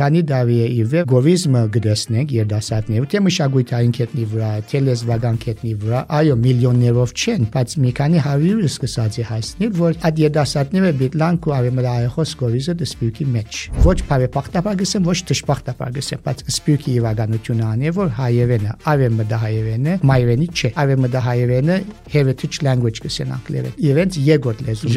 քանի տարի է իվեր գովիզմը գտեսնենք երդասարտներ, թե մշակութային կետնի վրա, թե լեզվական կետնի վրա, այո, միլիոններով չեն, բայց մի քանի հարյուր սկսած է հասնել, որ այդ երդասարտները բիտլանք ու արևմտահայախոս գովիզը դսպիրկի մեջ։ Ոչ բարեպախտաբար գսեմ, ոչ դժբախտաբար գսեմ, բայց սպիրկի իրականությունը անի, որ հայերենը, արևմտահայերենը մայրենի չէ, արևմտահայերենը heritage language գսեն անգլերեն։ Իրենց երկրորդ լեզուն է,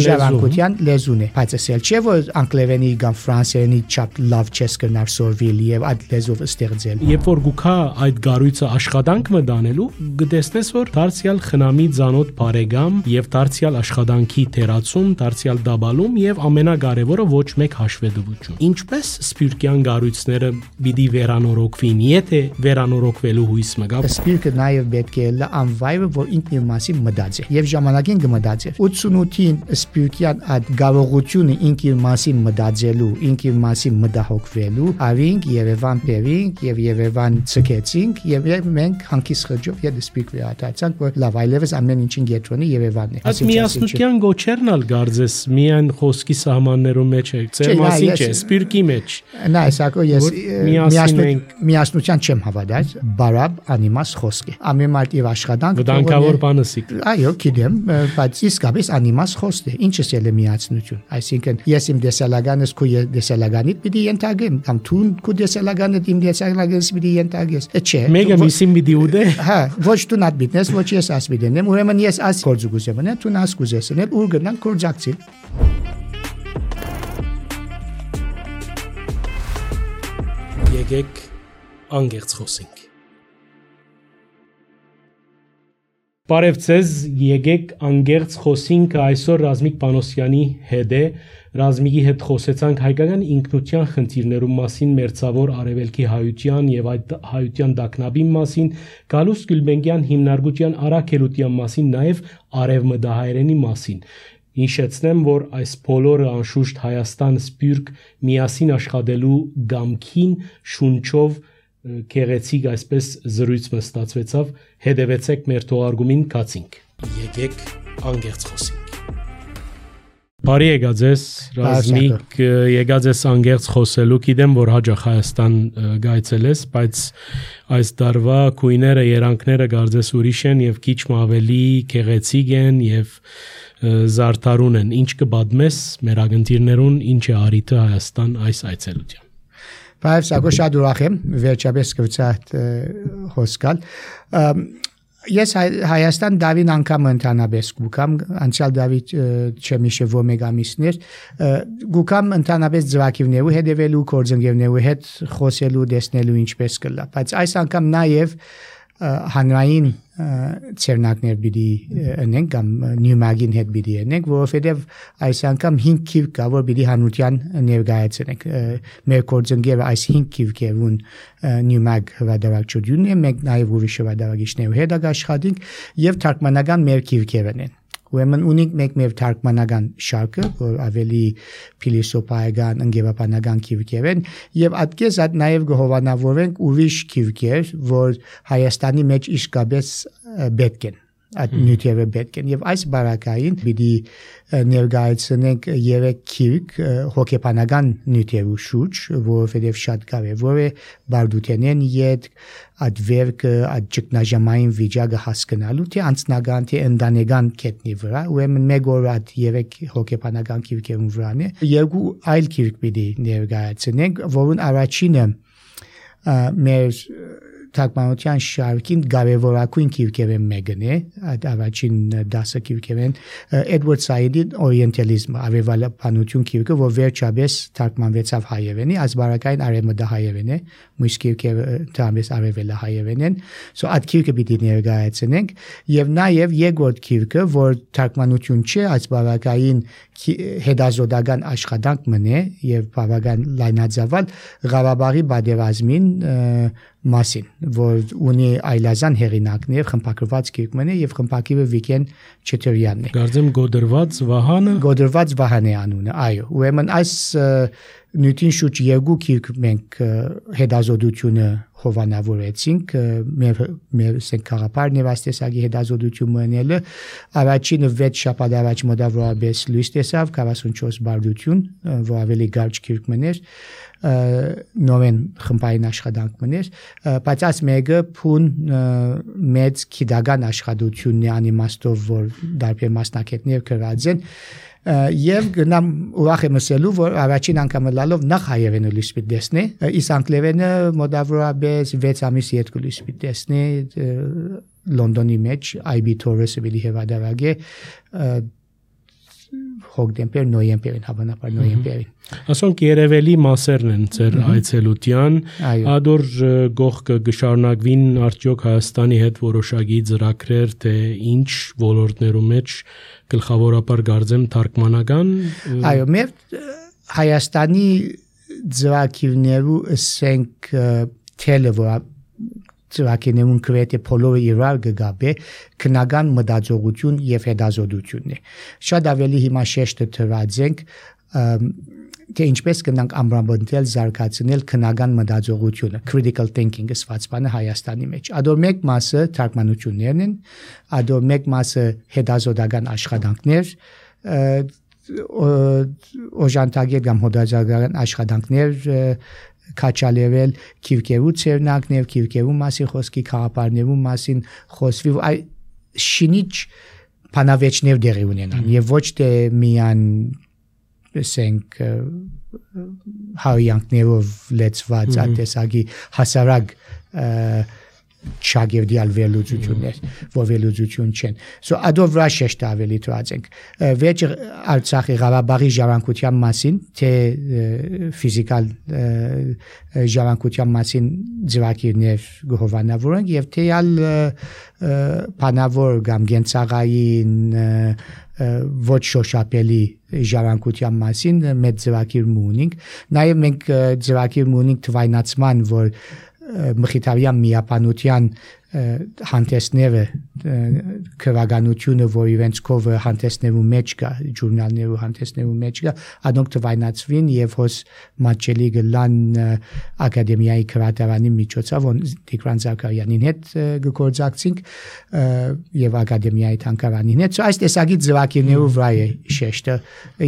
ժառանգության լեզուն է, բայց ասել չէ, որ անգլերենի կամ ֆրանսերենի չափ լավ չես կնար սորվիլ եւ այդ լեզվով ստեղծել։ Երբ որ գուքա այդ գարույցը աշխատանք մտանելու, գտեսնես, որ դարձյալ խնամի ցանոթ բարեկամ եւ դարձյալ աշխատանքի թերացում, դարձյալ դաբալում եւ ամենակարևորը ոչ մեկ հաշվետվություն։ Ինչպես սպիրկյան գարույցները պիտի վերանորոգվին, եթե վերանորոգվելու հույս մգա։ Սպիրկը նաեւ պետք է լա անվայրը, որ ինքն իր մասին մտածի եւ ժամանակին կմտածի։ 88-ին սպիրկյան այդ կարողությունը ինքն իր մասին մտածելու, ինքն իր մասին մտահոգվելու, ավինք Երևան բերինք եւ Երևան ցկեցինք եւ մենք հանկիս խջով եւ սպիրկ վերադարձանք, որ լավ այլևս ամեն ինչին գետրոնի Երևանն է։ Այդ միասնության գոչերն ալ գարձես միայն խոսքի սահմաններում մեջ է, ծեր մասին չէ, սպիրկի մեջ։ Նա ասակո ես միասնության չեմ հավատալ, բարապ անիմաս խոսք է։ Ամեն մարդ իր աշխատանք վտանգավոր բանսիկ։ Այո, գիտեմ, բայց իսկապես անիմաս խոսք է։ Ինչս էլ է միասնություն։ Այսինքն ես իմ դեսալագանս քո դեսալագանիդ պիտի ենթարկեմ, կամ դու քո դեսալագանդ իմ դեսալագանս պիտի ենթարկես։ Չէ։ Մեկը միսին պիտի ուդե։ Հա, ոչ դու նատ բիտնես, ոչ ես աս բիտնեմ։ Ուրեմն ես աս կորձուգուզեմ, նա դու նաս կուզեսն էլ ուր գնան կորձակցիլ։ Եկեք անգերց խոսենք։ Բարև ձեզ, եկեք անգերց խոսենք այսօր Ռազմիկ Պանոսյանի հետ է։ Ռազմիկի հետ խոսեցանք հայկական ինքնության խնդիրներու մասին, մերձավոր արևելքի հայության եւ այդ հայության դակնաբի մասին, Գալուստ Գյուլբենկյան հիմնարկության առաքելության մասին, նաեւ արևմտահայերենի մասին։ Հիշեցնեմ, որ այս բոլորը անշուշտ Հայաստան սպիրկ միասին աշխատելու գամքին շունչով գեղեցիկ այսպես զրույցը ստացվեցավ, հետևեցեք մեր թողարկումին, կացինք։ Եկեք անգերց խոսենք։ Բարի եկած ես, Ռազմիկ, եկած ես անգերց խոսելու, գիտեմ, որ հաջող Հայաստան գայցել ես, բայց այս դարվա քույները, երանքները գարձես ուրիշ են եւ քիչ ավելի գեղեցիկ են եւ զարդարուն են։ Ինչ կբադմես մեր ագընտիրներուն, ինչ է արիթը Հայաստան այս այցելության։ Բայց ակո շատ ուրախ եմ վերջապես կվցած հոսքալ։ Ես Հայաստան Դավին անգամ ընդհանրապես գուկամ, անցյալ Դավիթ չեմ հիշում մեկ ամիսներ, գուկամ ընդհանրապես ձվակիվներու հետևելու, կորձընկերներու հետ խոսելու, տեսնելու ինչպես կլա։ Բայց այս անգամ նաև հանրային ցերնակներ պիտի ունենք կամ նյումագին հետ պիտի ունենք, որովհետև այս անգամ 5 քիվ կա, որ պիտի հանրության ներկայացնենք։ Մեր կորձընկերը այս 5 քիվքերուն նյումագ հրադարակչությունն է, մենք նաև ուրիշ հրադարակիչներու հետ աշխատենք եւ թարգմանական մեր քիվքերն են։ Ուրեմն ունենք մեկ մեր թարգմանական շարքը, որ ավելի փիլիսոփայական, ընկերապանական քիվքեր են, եւ այդպես այդ նաև գովանավորենք ուրիշ քիվքեր, որ Հայաստանի մեջ իսկապես պետք են։ Այդ նյութերը պետք են եւ այս բարակային պիտի ներկայացնենք 3 քիվք հոգեբանական նյութերու շուրջ, որովհետեւ շատ կարեւոր է բարդութենեն յետ այդ վերքը, այդ ճգնաժամային վիճակը հասկանալու, թե անձնական, թե ընտանեկան կետնի վրա, ուրեմն մեկ օր այդ 3 հոգեբանական քիվքերուն վրան է, երկու այլ քիվք պիտի ներկայացնենք, որոնց առաջինը մեր թարգմանության շարքին կարևորագույն քիվքերն մեկն է, այդ առաջին 10 քիվքերն Էդվարդ Սայիդի օրիենտալիզմը, արևելապանություն քիվքը, որ վերջապես թարգմանվեցավ հայերենի, ասբարակային արևմտահայերեն է, մյուս քիվքերը թամես արևելահայերեն են, so այդ քիվքը պիտի ներկայացնենք եւ նաեւ երկրորդ քիվքը, որ թարգմանություն չէ, ասբարակային հետազոտական աշխատանք մնե եւ բավական լայնածավալ Ղարաբաղի պատերազմին մասին, որ ունի այլազան հեղինակներ, խմբագրված քիվքն է եւ խմբագիրը Վիկեն Չեթերյանն է։ Գարձեմ Գոդրված Վահանը։ Գոդրված Վահան է անունը, այո։ Ուրեմն այս նույնին շուտ երկու քիրք մենք հետազոտությունը հովանավորեցինք մեր սենքարապար նեվաստեսագի հետազոտություն մնելը առաջինը 6 շաբաթ առաջ մոտավորապես լույս տեսավ 44 բարդություն որ ավելի կարճ քիրք մներ նորեն խմբային աշխատանք մներ բայց այս մեկը փուն մեծ քիդական աշխատությունն է անիմաստով որ դարբեր մասնակիցներ կրած են եւ գնամ ուրախ եմ ասելու որ առաջին անգամ լալով նախ հայերենը լույս պիտի տեսնի իսկ անգլերենը մոտավորապես 6 ամիս երկու լույս պիտի տեսնի Լոնդոնի մեջ IB Torres-ը բիլի հեվադարագե հոկտեմբեր նոյեմբերին հավանաբար նոյեմբերին ասոնք երևելի մասերն են ձեր այցելության ադոր գողքը գշարունակվին արդյոք Հայաստանի հետ որոշակի ծրագրեր թե ինչ ոլորտներում մեջ գլխավորապես գարձեմ թարգմանական այո մեր Հայաստանի ծրագրերու ասենք թելը որ ծրագրերուն կրեթե բոլորը իրար գգաբե քնական մտածողություն եւ հետազոտությունն է շատ ավելի հիմա շեշտը դրածենք թե ինչպես կնանք ամբրամբնել զարգացնել քնական մտածողությունը critical thinking-ը սվածբանը Հայաստանի մեջ ադոր մեկ մասը թարգմանություններն են ադոր մեկ մասը հետազոտական աշխատանքներ օժանդակեր կամ հոդաձագական աշխատանքներ քաչալերել քիրկերու ցերնակներ քիրկերու մասի խոսքի խաղապարներու մասին խոսվի այ շինիչ բանավեճներ դերի ունենան եւ ոչ թե միան ասենք հայյանքներով լեցված ատեսագի հասարակ չագերդիալ վերլուծություններ, որ վերլուծություն չեն։ So ադով վրա շեշտ ավելի դրածենք։ Վերջը Արցախի Ղարաբաղի ժառանգության մասին, թե ֆիզիկալ ժառանգության մասին ծրագրեր գովանավորենք եւ թե ալ բանավոր կամ գենցաղային ոչ շոշափելի ժառանգության մասին մեծ ծրագիր ունենք։ Նաեւ մենք ծրագիր ունենք թվայնացման, որ մխիթարյան միապանության հանդեսները քրագանությունը որ իրենց կովը հանդեսներու մեջ կա ժուրնալներու հանդեսներու մեջ կա անոնք թվայնացվին եւ հոս մատչելի գլան ակադեմիայի քրատարանի միջոցով Տիգրան Զաքարյանին հետ գործակցինք եւ ակադեմիայի թանգարանին հետ այս տեսակի ծրագրերու վրա է շեշտը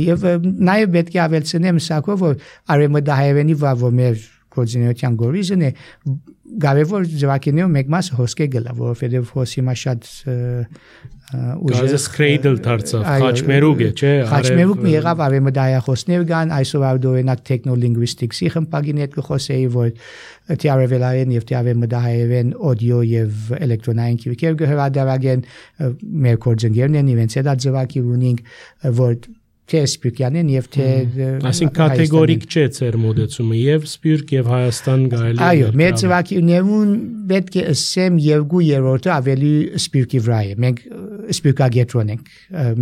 եւ նաեւ պետք է ավելցնեմ սակով որ արեմդահայերենի վրա որ մեր կոորդինացիան գորիզն է գավեվոր ծրագրերով մեկ մաս հոսքե գլա որովհետեւ հոսի մա շատ ուժը սկրեյդլ դարձավ խաչմերուկ է չէ խաչմերուկ մի եղավ արեմդահայախոսներ կան այսօր արդյունակ տեխնոլինգվիստիկսի խմբագին հետ կխոսեի որ թիարևելային եւ թիարևմդահայերեն օդիո եւ էլեկտրոնային քիրքեր գհրադարագեն մեր կորձընկերներն են իրենց հետ ծրագիր ունենք որ թե սպյուրքյանեն եւ թե այսինքն կատեգորիկ չէ ձեր մոդեցումը եւ սպյուրք եւ Հայաստան գայելի այո մեր ծրագրերուն պետք է ասեմ երկու երրորդը ավելի սպյուրքի վրա է մենք սպյուրքագետրոն ենք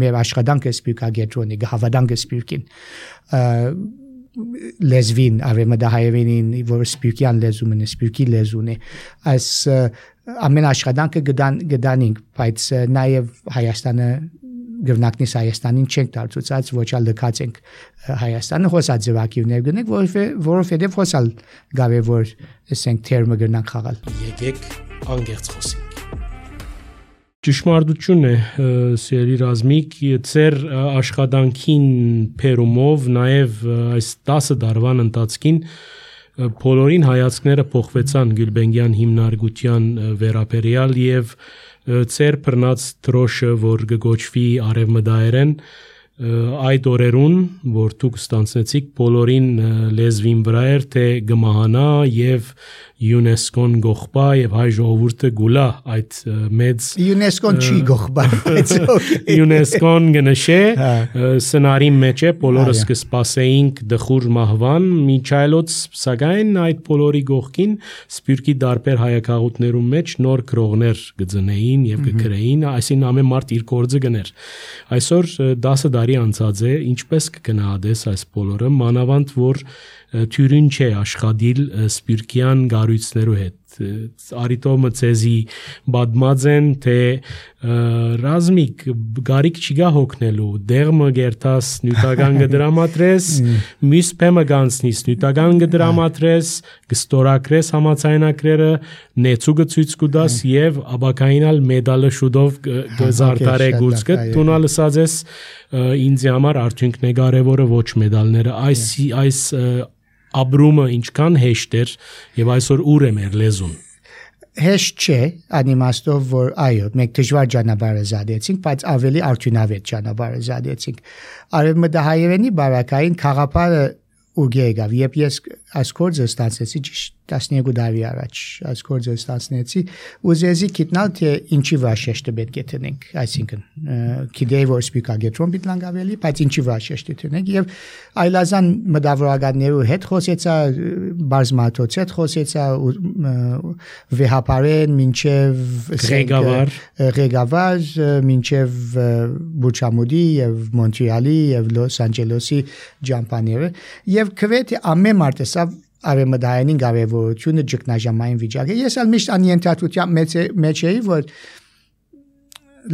մեր աշխատանքը սպյուրքագետրոն է գհավադանքը սպյուրքին լեզվին արեմդահայերենին որ սպյուրքյան լեզուն է սպյուրքի լեզուն է այս ամեն աշխատանքը գտանինք բայց նաեւ Հայաստանը գվնակնից Հայաստանին չենք դարձուցած ոչ ալ լքած ենք Հայաստանը հոսած ձևակիրներ գնենք որովհետև հոսալ գավեվոր ասենք թերմը գնանք խաղալ եկեք անգերց խոսենք ճշմարտություն է սիրելի Ռազմիկ ձեր աշխատանքին փերումով նաև այս 10 տարվան ընթացքին բոլորին հայացքները փոխվեցան Գյուլբենգյան հիմնարկության վերաբերյալ եւ ծեր բռնած դրոշը որ գոչվի արևմտահայերեն այդ օրերուն որ դուք ստանցնեցիք բոլորին լեզվին վրա էր թե գմահանա եւ ՅՈՒՆԵՍԿՕ-ն գողբա եւ հայ ժողովուրդը գուլա այդ մեծ ՅՈՒՆԵՍԿՕ-ն չի գողբա ՅՈՒՆԵՍԿՕ-ն գնշե սցենարի մեջ է բոլորս կսպասեինք դխուր մահվան միջայլոց սակայն այդ բոլորի գողքին սպյուրքի դարբեր հայակաղուտներում մեջ նոր գրողներ գծնեին եւ կգրեին այսին ամեն մարդ իր գործը գներ այսօր 10 տարի անցած է ինչպես կգնահատես այս բոլորը մանավանդ որ թյուրին չէ աշխատիլ սպյուրքյան գարույցներու հետ արիտոմը ցեզի բադմած են թե ռազմիկ գարիկ չգա հոգնելու դեղմը գերտաս նյութական գդրամատրես մյուս փեմը գանցնիս նյութական գդրամատրես գստորակրես համացայնակրերը նեցուգը ցույց կուդաս եւ աբակայինալ մեդալը շուտով գզարտարե գուցկը տունա լսածես ինձ համար արդյունքն է կարևորը ոչ մեդալները այս Abrumă ինչքան հեշտ էր եւ այսօր ուր է մեր լեզուն հեշտ չէ անիմաստով որ այո մենք դժվար ճանապարհ զադեցինք բայց ավելի արդյունավետ ճանապարհ զադեցինք արևմտահայերենի բարակային խաղապարը ուղի եկավ երբ ես այս կորձը ստացեցի 12 տարի առաջ այս կորձը ստացնեցի ուզեցի գիտնալ թե ինչի վրա շեշտը պետք է տնենք այսինքն գիտեի որ սպիկագետրոն պիտի լանգավելի բայց ինչի վրա շեշտը տնենք եւ այլազան մտավորականներու հետ խոսեցա բարձմաթոց հետ խոսեցա վեհապարեն մինչեւ Ղեգավար մինչեւ Բուչամուդի եւ Մոնտրեալի եւ Լոս Անջելեսի ջամփաները եւ քվեթի ամեն մարտեսավ արևմտահայերեն կարևորությունը ճգնաժամային վիճակը ես ալ միշտ անյենթատության մեջ էի որ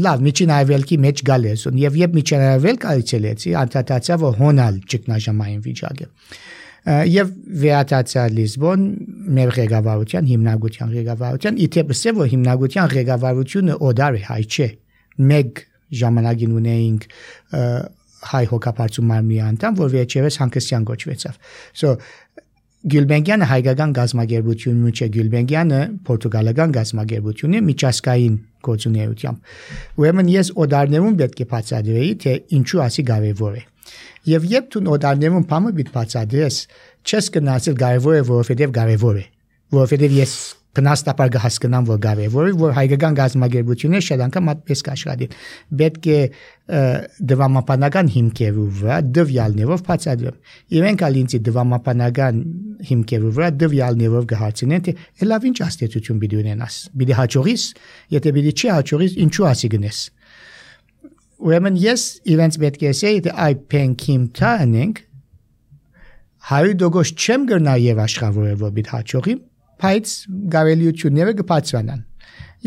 լավ միջին արևելքի մեջ գալես եւ երբ միջին արևելք այցելեցի անդադացա որ հոնալ ճգնաժամային վիճակը եւ վերադարձա Լիզբոն մեր ղեկավարության հիմնագության ղեկավարության իթեպս է որ հիմնագության ղեկավարությունը օդար է հայ չէ մեկ ժամանակին ունեինք հայ հոգապարծու մարմնի անդամ որ վերջերս Հանկստյան գոչվեցավ so Գյուլբենգյանը հայկական գազագերբությունն ու չէ Գյուլբենգյանը պորտուգալական գազագերբությունն է միջազգային գործունեությամբ ուրեմն ես օդարներուն պետք է բացատրեի թե ինչու ասի կարևոր է եւ երբ դու օդարներուն բամը պիտի բացատրես չես գնացել կարևոր է որովհետեւ կարևոր է որովհետեւ ես բնաստապար հասկանամ որ կարևոր է որ հայկական գազագերբությունը շատ անգամ այդպես կաշխատի պետք է դրամապանական հիմքերով վրա դվյալներով բացատրեմ իրենք ալինցի դրամապանական հիմքերով վրա դվյալներով կհարցնեն թե լավ ինչ աստեցություն պիտի ունենաս պիտի հաջողիս եթե պիտի չի հաջողիս ինչու ասի գնես ուրեմն ես իրենց պետք է ասեի թե այ փենքիմ տանենք հայդոգոս չեմ գնա եւ աշխատավորել որ պիտի հաջողի բայց գավելիությունները կբացվանան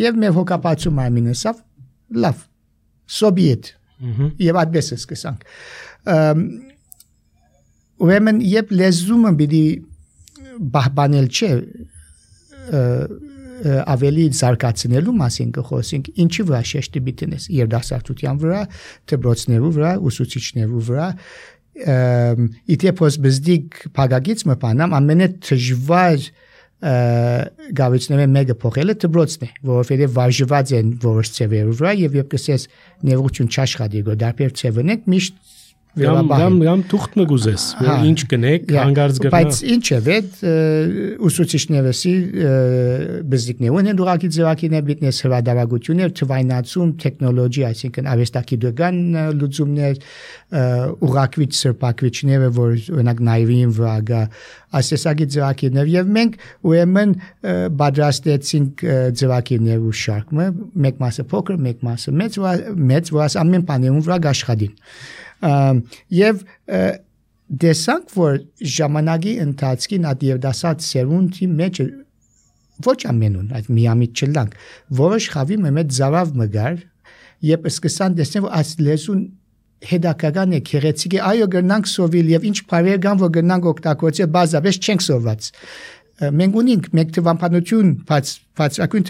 եւ մեր հոգապացու մարմինսավ լավ սոբիետ եւ այդպես սկսանք ուրեմն երբ լեզումը պիտի բահբանել չէ ավելի զարգացնելու մասին կխոսենք ինչի վրա շեշտի պիտինես երդասարտության վրա դպրոցներու վրա ուսուցիչներու վրա իթեպոս բզդիկ փագագից մփանամ ամենը դժվար գավիցները մեկը փոխելը դպրոցն է որովհետեւ վարժված են որոշ ծևերով վրա եւ երբ կսես ներողություն չաշխատի գոդարբեր ծևնեք միշտ Գամ թուղթ մգուզես որ ինչ կնեք հանգարց գրնա բայց ինչ է վետ ուսուցիչներսի բզիկներուն են դուրակի ձևակին է բիտնես հրադարագություններ թվայնացում տեխնոլոգիա այսինքն արվեստագիտական լուծումներ ուղակվիչ սրբակվիչները որ օրինակ նայվին վրա գա ասեսագի ձևակիներ եւ մենք ուրեմն բادرաստեցինք ձևակիներու շարքը մեկ մասը փոքր մեկ մասը մեծ որ ամեն բաներուն վրա աշխատին եւ դեսանք որ ժամանակի ընթացքին այդ երդասած սերունդի մեջ ոչ ամենուն այդ միամիտ չլանք որոշ խավի մեծ զավավ մգար եւ սկսան տեսնել որ այս լեզուն հետաքական է քերեցիկ է այո գնանք սովիլ եւ ինչ բարեր կան որ գնանք օգտագործել բազապես չենք սովված մենք ունենք մեկ թվապանություն բացակույն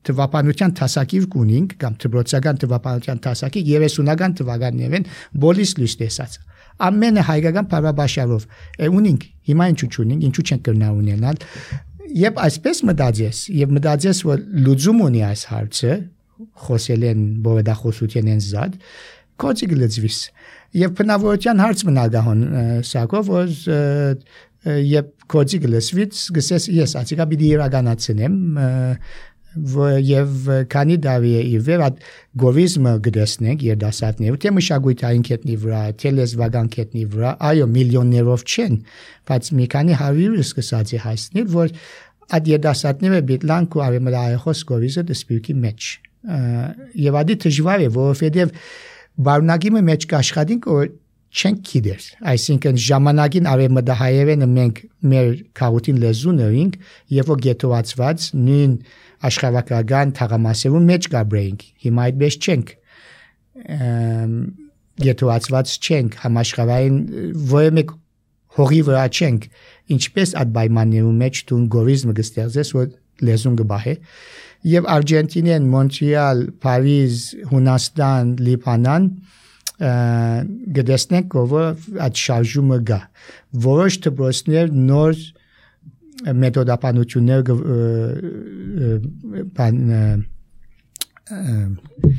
թվապանության տասակիր ունենք կամ դպրոցական թվապանության տասակիր 30-ական թվականներն բոլիս լույս տեսած ամենը հայկական բարաբաշարով ունենք հիմա ինչու չունենք ինչու չենք կրնա ունենալ եւ այսպես մտածես որ լուծում ունի այս հարցը խոսել են բովեդախոսության են զատ կոչի գլծվիս եւ բնավորության հարց մնալգահոն սակով որ Եվ կոչի գլսվից գսես ես ասիկա պիտի իրականացնեմ եւ քանի դավի է իվեր այդ գովիզմը գտեսնենք երդասարտներ թե մշակույթային կետնի վրա թե լեզվական կետնի վրա այո միլիոններով չեն բայց մի քանի հարյուր սկսած է հասնել որ այդ երդասարտները բիթլանք ու արեմլայխոս գովիզը դսպիրքի մեջ եւ ադի դժվար է որովհետեւ բարունակիմը մեջ կաշխատենք որ չենք գիտեր, այսինքն ժամանակին արևմտահայերենը մենք մեր քաղաքին լեզուն էինք, եւ որ գետոացված նույն աշխարհական թաղամասերում մեջ գաբրեինք, հիմա այդպես չենք, գետոացված չենք, համաշխարհային որևէ մեկ հողի վրա չենք, ինչպես այդ պայմաններում մեջ դու գորիզմը կստեղծես, որ լեզուն կբահե, եւ Արգենտինան, Մոնտրեալ, Փարիզ, Հունաստան, Լիբանան գտեսնենք, որ այդ շարժումը կա, որոշ դպրոցներ նոր մեթոդապանություններ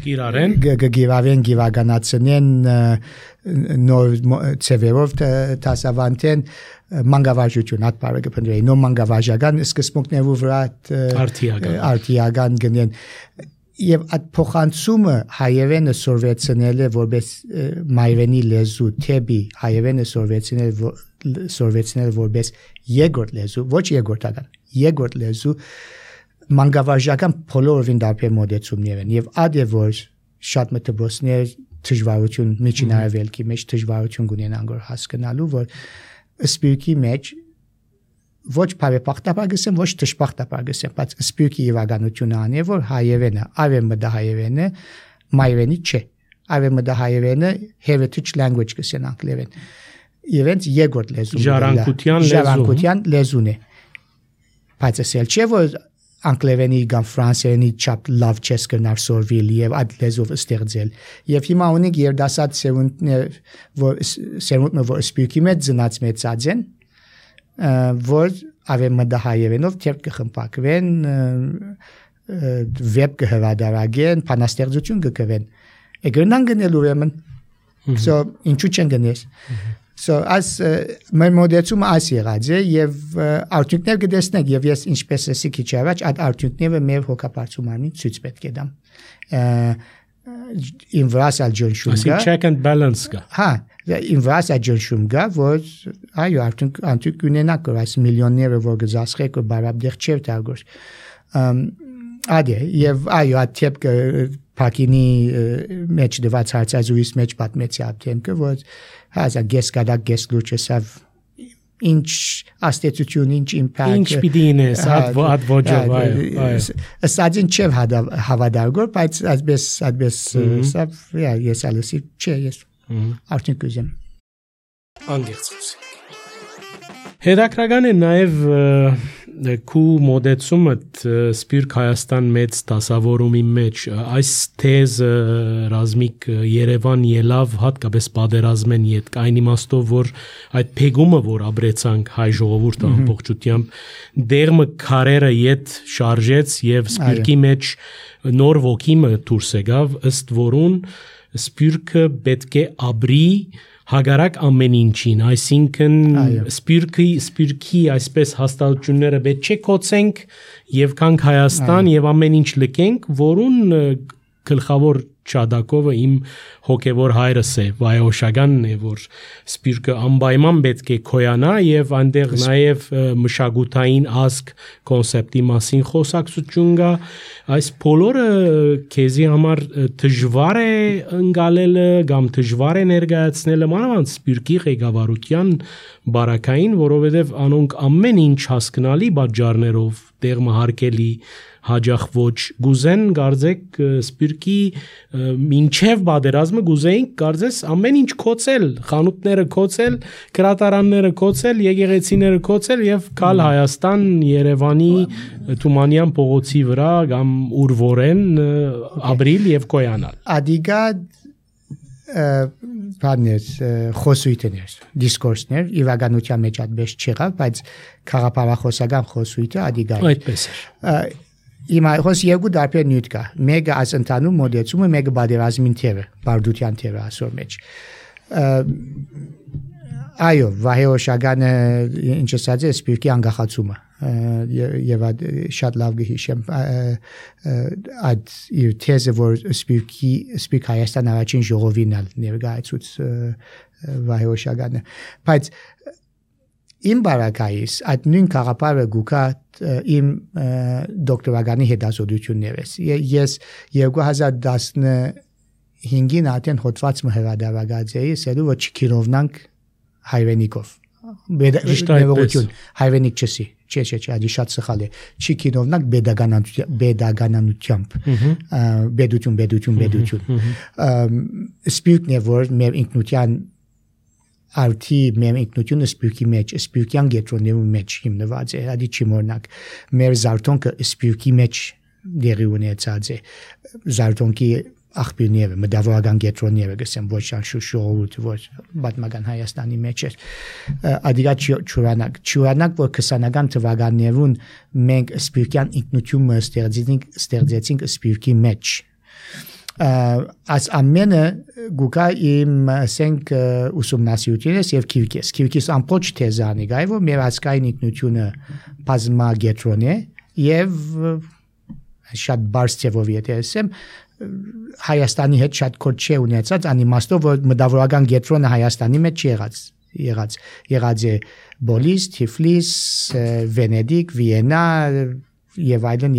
գիրարեն գիվագանացնեն նոր ծևերով դասավանդեն մանկավարժություն այդ բառը կփնտրեի նոր մանկավարժական սկզբունքներով վրա արտիական գնեն եւ այդ փոխանցումը հայերենը սորվեցնելը որպես մայրենի լեզու թեպի հայերենը սորվեցնել որպես երկրորդ լեզու ոչ երկրորդ լեզու մանկավարժական բոլորովին դարբեր մոդեցումներ են եւ այդ է որ շատ մտածողներ դժվարություն միջին արևելքի մեջ դժվարություն ունենան որ հասկանալու որ սպիրկի մեջ ոչ բարեպախտաբար գսեմ ոչ դժբախտաբար գսեմ բայց սպիրկի իրականությունը անի որ հայերենը արևմտահայերենը մայրենի չէ արևմտահայերենը heritage language գսեն անգլերեն իրենց երկրորդ լեզուն ժառանգության լեզուն է բայց ասել չէ որ անգլերենի կամ ֆրանսերենի չափ լավ չես կնար սորվիլ եւ այդ լեզով ստեղծել եւ հիմա ունենք երդասած սերունդներ որ սպիրկի մեջ ծնած մեծած են որ արևմտահայերենով թերք կխմբակվեն վեբ կհրադարագեն բանաստեղծություն կգվեն եկրնան գնել ուրեմն so ինչու չեն գնես so as մեր մոդեցումը այս եղած է եւ արդյունքներ կտեսնենք եւ ես ինչպես էսի քիչ առաջ այդ արդյունքները մեր հոգապարծումին ցույց պետք է դամ ինվրասալ ջնշում կա check and balance կա հա ինվրասալ ջնշում կա որ այո արդյունք ունենակ որ այս միլիոնները որ գզասխեք որ բարաբդեղ չէ տարգոր ադե եւ այո աթեփ Փակինի մեջ դված հարցազրույց մեջ պատմեցի ապտեմքը որ հազա գեսկադակ գեսլուչեսավ ինչ աստեցություն ինչ իմպակտ ինչ պիտի ինես ad ոջով այո ասածին չէ հավադարգոր բայց այսպես սավ ես ալսի չէ ես արդյունք ուզեմ անգերց խոսենք հետաքրական է նաև քու մոդեցումը Սպիրկ Հայաստան մեծ դասավորումի մեջ այս թեզը ռազմիկ Երևան ելավ հատկապես պատերազմեն յետ այն իմաստով որ այդ փեգումը որ աբրեցանք հայ ժողովուրդը ամբողջությամբ դերմը քարերը յետ շարժեց եւ Սպիրկի մեջ նոր ոգիմը դուրս եկավ ըստ որուն Սպիրկը պետք է աբրի հագարակ ամեն ինչին, այսինքն սպիրկի այսպես հաստատությունները պետք չէ կոծենք եւ կանք Հայաստան եւ ամեն ինչ լքենք, որուն գլխավոր չադակովը իմ հոգևոր հայրս է, վայոշականն է, որ սպիրկը անպայման պետք է քոյանա եւ այնտեղ նաեւ մշակութային ազգ կոնցեպտի մասին խոսակցություն կա, այս բոլորը քեզի համար դժվար է ընկալելը կամ դժվար է ներկայացնելը մանավանդ սպիրկի ղեկավարության բարակային, որովհետեւ անոնք ամեն ինչ հասկանալի բաժարներով տեղը հարկելի հաջախ ոչ գուզեն գարձեք սպիրկի մինչև բادرազմը գուզեին կարծես ամեն ինչ կոծել խանութները կոծել գրատարանները կոծել եկեղեցիները կոծել եւ կալ Հայաստան Երևանի Թումանյան փողոցի վրա կամ ուրվորեն ապրիլ եւ կոյանալ ադիգա բաներ խոսույթներ դիսկուրսներ իրականության մեջ այդպես չեղավ բայց խաղապարախոսական խոսույթը ադիգա այդպես էր Իմ այհոս երկու դարբեր նյութ կա մեկը այս ընդհանուր մոդեցումը մեկը բادرազմին թերը բարդության թերը ասոր մեջ այո վահեոշականը ինչ ասած է սպիրկի անկախացումը եւ շատ լավ գհիշեմ այդ իր թեզը որ սպիրկ Հայաստան առաջին ժողովին ներկայացուց վահեոշականը բայց Իմ բարակայիս այդ նույն խաղապարը գուկա իմ դոկտորականի հետազոտություններս ես 2015 հինգին ատեն հոտված մհրադարագած էի, սերու որ չքիրովնանք հայվենիկով։ Բեդագություն, հայվենիկ չսի, չէ, ադի շատ սխալ է։ Չքիրովնանք բեդագանանությամբ։ Բեդություն։ Սպիրկն է, որ մեր ինքնության արդի մեր ինքնությունը սպիրկի մեջ, սպիրկյան գետրոններու մեջ հիմնված է, ադի չի մորնակ։ Մեր զարթոնքը սպիրկի մեջ դերի ունեցած է, զարթոնքի աղբյուրները, մտավորական գետրոնները գսեմ, ոչ շուշորուտ, ոչ պատմական Հայաստանի մեջ էր, ադիգա չուրանակ, որ 20-ական թվականներուն մենք սպիրկյան ինքնությունը ստեղծեցինք սպիրկի մեջ, As ամենը գուկա իմ ասենք ուսումնասիրությունից եւ քիրքիս ամբողջ թեզանի գայ որ մեր ազգային ինքնությունը բազմա գետրոն է եւ շատ բարձ ծավով եթե ասեմ Հայաստանի հետ շատ կոչ չէ ունեցած անիմաստով որ մտավորական գետրոնը Հայաստանի մեջ եղած է Բոլիս, Թիֆլիս, Վենեդիկ, Վիեննա եւ այլն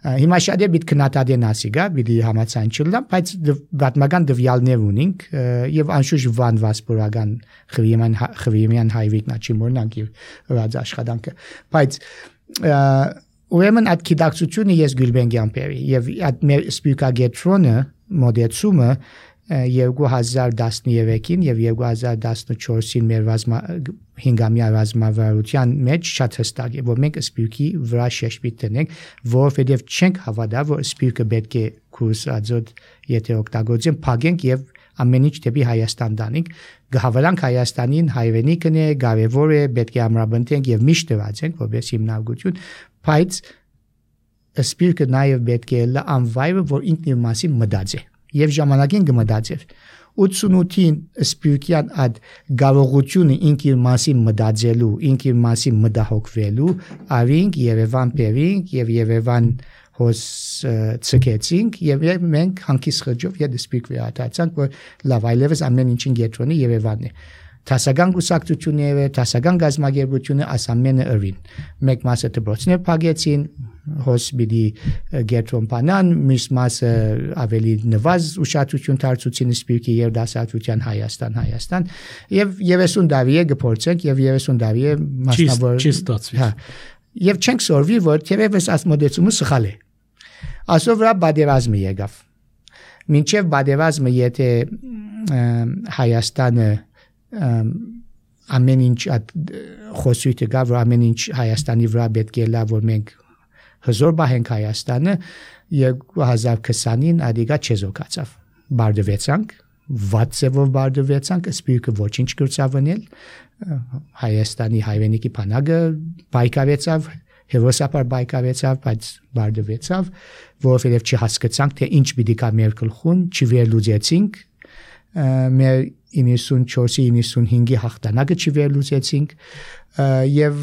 Հիմա շատ է բիտ քննադատեն ասիգա, բիդի համացան չլամ, բայց պատմական դվյալներ ունենք եւ անշուշտ վան վասպորական խվիմյան հայվիկնա չի մորնանք եւ ռաձ աշխատանքը, բայց ուրեմն այդ գիտակցությունը ես Գյուլբենգյան բերի եւ այդ մեր սպիրկագետրոնը մոդեցումը 2013-ին եւ 2014-ին մեր հինգամյա ռազմավարության մեջ շատ հստակ է, որ մենք սպիրկի վրա շեշտի տնենք, որովհետեւ չենք հավատա, որ սպիրկը պետք է կուրս ածոտ եթե օգտագործեն, փակենք եւ ամեն ինչ դեպի Հայաստան տանենք, գահավանանք Հայաստանին, հայրենիքն է, կարևոր է, պետք է ամրապնդենք եւ միշտ դրացենք, որպես հիմնարկություն, բայց սպիրկը նաեւ պետք է անվայրը, որ ինքն իր մասին մտածի Եվ ժամանակին գմտածեր 88-ին սպիրկյան այդ գարողությունը ինքիր մասին մտածելու, ինքիր մասին մտահոգվելու, արինք Երևան բերինք եւ Երևան հոս ցկեցինք եւ մենք հանկիս խջով եդ սպիրկ վերադարձանք, որ լավ այլևս ամեն ինչին գետրոնի Երևանն է։ Տասական գուսակցությունները, տասական գազագերբությունը ասամենը ըրին։ Մեկ մասը դպրոցներ փակեցին, հոս բիդի գետրոն բանան, մյուս մասը ավելի նվազ ուշադրություն դարձուցին սպիրկի եւ դասատվության Հայաստան եւ 30 տարի է գործենք եւ 30 տարի է մասնավոր չի ստացվի։ Հա։ Եվ չենք սորվի, որ թերևս այս մոդեցումը սխալ է։ Ասով վրա բادرազմը եկավ։ Մինչեւ բادرազմը եթե Հայաստանը ամեն ինչ խոսույթը գա, որ ամեն ինչ Հայաստանի վրա պետք է լավ, որ մենք հզոր բահենք Հայաստանը 2020-ին ադիգա չեզոքացավ։ Բարդվեցանք, վատսևով բարդվեցանք, սպիրկը ոչինչ կրծավնել, Հայաստանի հայրենիքի բանակը բայկարեցավ, հերոսապար բայկարեցավ, բայց բարդվեցավ, որովհետև չհասկացանք, թե ինչ պիտի կա մեր գլխուն, չվերլուծեցինք, մեր 94-ի 95-ի հաղթանակը չվերլուծեցինք եւ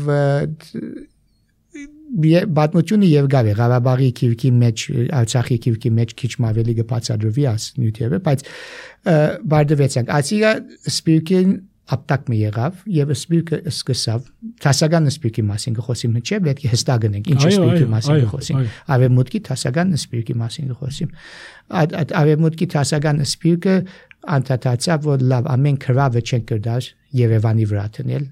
պատմությունը եւ գավի Ղարաբաղի քիրքի մեջ Արցախի քիրքի մեջ քիչ ավելի կբացատրվի աս նյութերը բայց բարդվեցանք ասիգա սպիրկին ապտակ մի եղավ եւ սպիրկը սկսավ տասական սպիրկի մասին խոսիմ չէ պետք է հստակ գնենք ինչ սպիրկի մասին խոսիմ ավեմուտքի տասական սպիրկի մասին խոսիմ ավեմուտքի տասական սպիրկը անդադարձավ որ լավ ամեն քրավը չեն կրդար Երևանի վրա տնել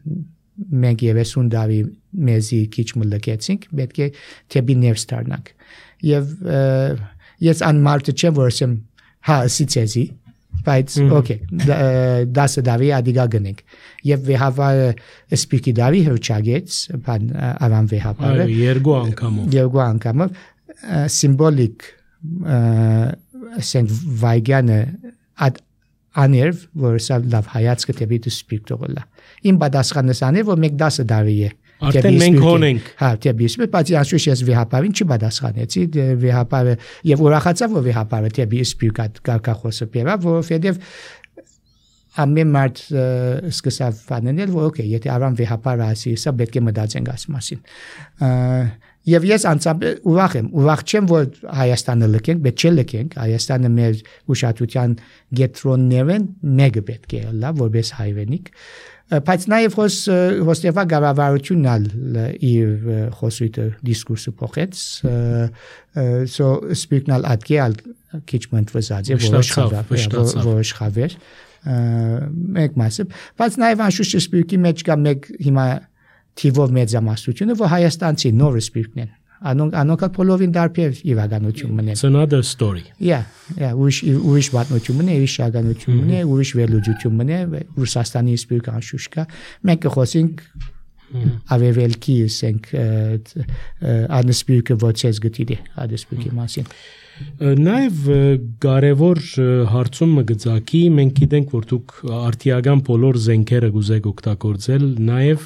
մենք 30 տարի մեզի քիչ մլկեցինք պետք է թեպի ներս դառնանք եւ ես անմարտ չեմ որ ասեմ հա սիցեզի բայց օքեյ դասը դավի ադիգա գնենք եւ վեհավարը սպիրկի դավի հրճագեց բան արան վեհավարը երկու անգամով սիմվոլիկ ասենք վայգանը աներվ որ սա լավ հայացքը դեպի սպիրկտորլա իմ պատասխանս աներ որ մեկ դասը դավի է արդեն մենք հոնենք հա դեպի բայց անշուշտ ես վեհապարին չպատասխանեցի վեհապարը եւ ուրախացավ որ վեհապարը դեպի սպիրկա կարկախոսը բերավ որովհետեւ ամեն մարդ սկսավ բանել որ օքեյ եթե արան վեհապարը ասի սա պետք է մտածենք այս մասին Եվ ես անցավ ուրախ չեմ որ Հայաստանը լքենք, պետք չէ լքենք, Հայաստանը մեր ուշադրության գետրոններն մեկը պետք է լա որպես հայրենիք բայց նաև հոստեվա գավառությունն ալ իր խոսույթը դիսկուրսը փոխեց so սպիրկնալ ատկել քիչ մտվզած է որոշ խավեր մեկ մասը բայց նաև անշուշտ սպիրկի մեջ կա մեկ հիմա թիվով մեծամասնությունը որ հայաստանցի նոր սպիրկն են անոնք բոլորին դարբեր իրականություն մնեն It's another story ուրիշ պատմություն մնե ուրիշ իրականություն մնե ուրիշ վերլուծություն մնե Ռուսաստանի սպիրկ անշուշտ կա մենք կխոսենք ավերելքի ասենք անսպիրկը ոչես գտիդի անսպիրկի մասին Նաև կարևոր հարցում մգծակի մենք գիտենք որ դուք արտիական բոլոր զենքերը գուզեք օգտագործել նաև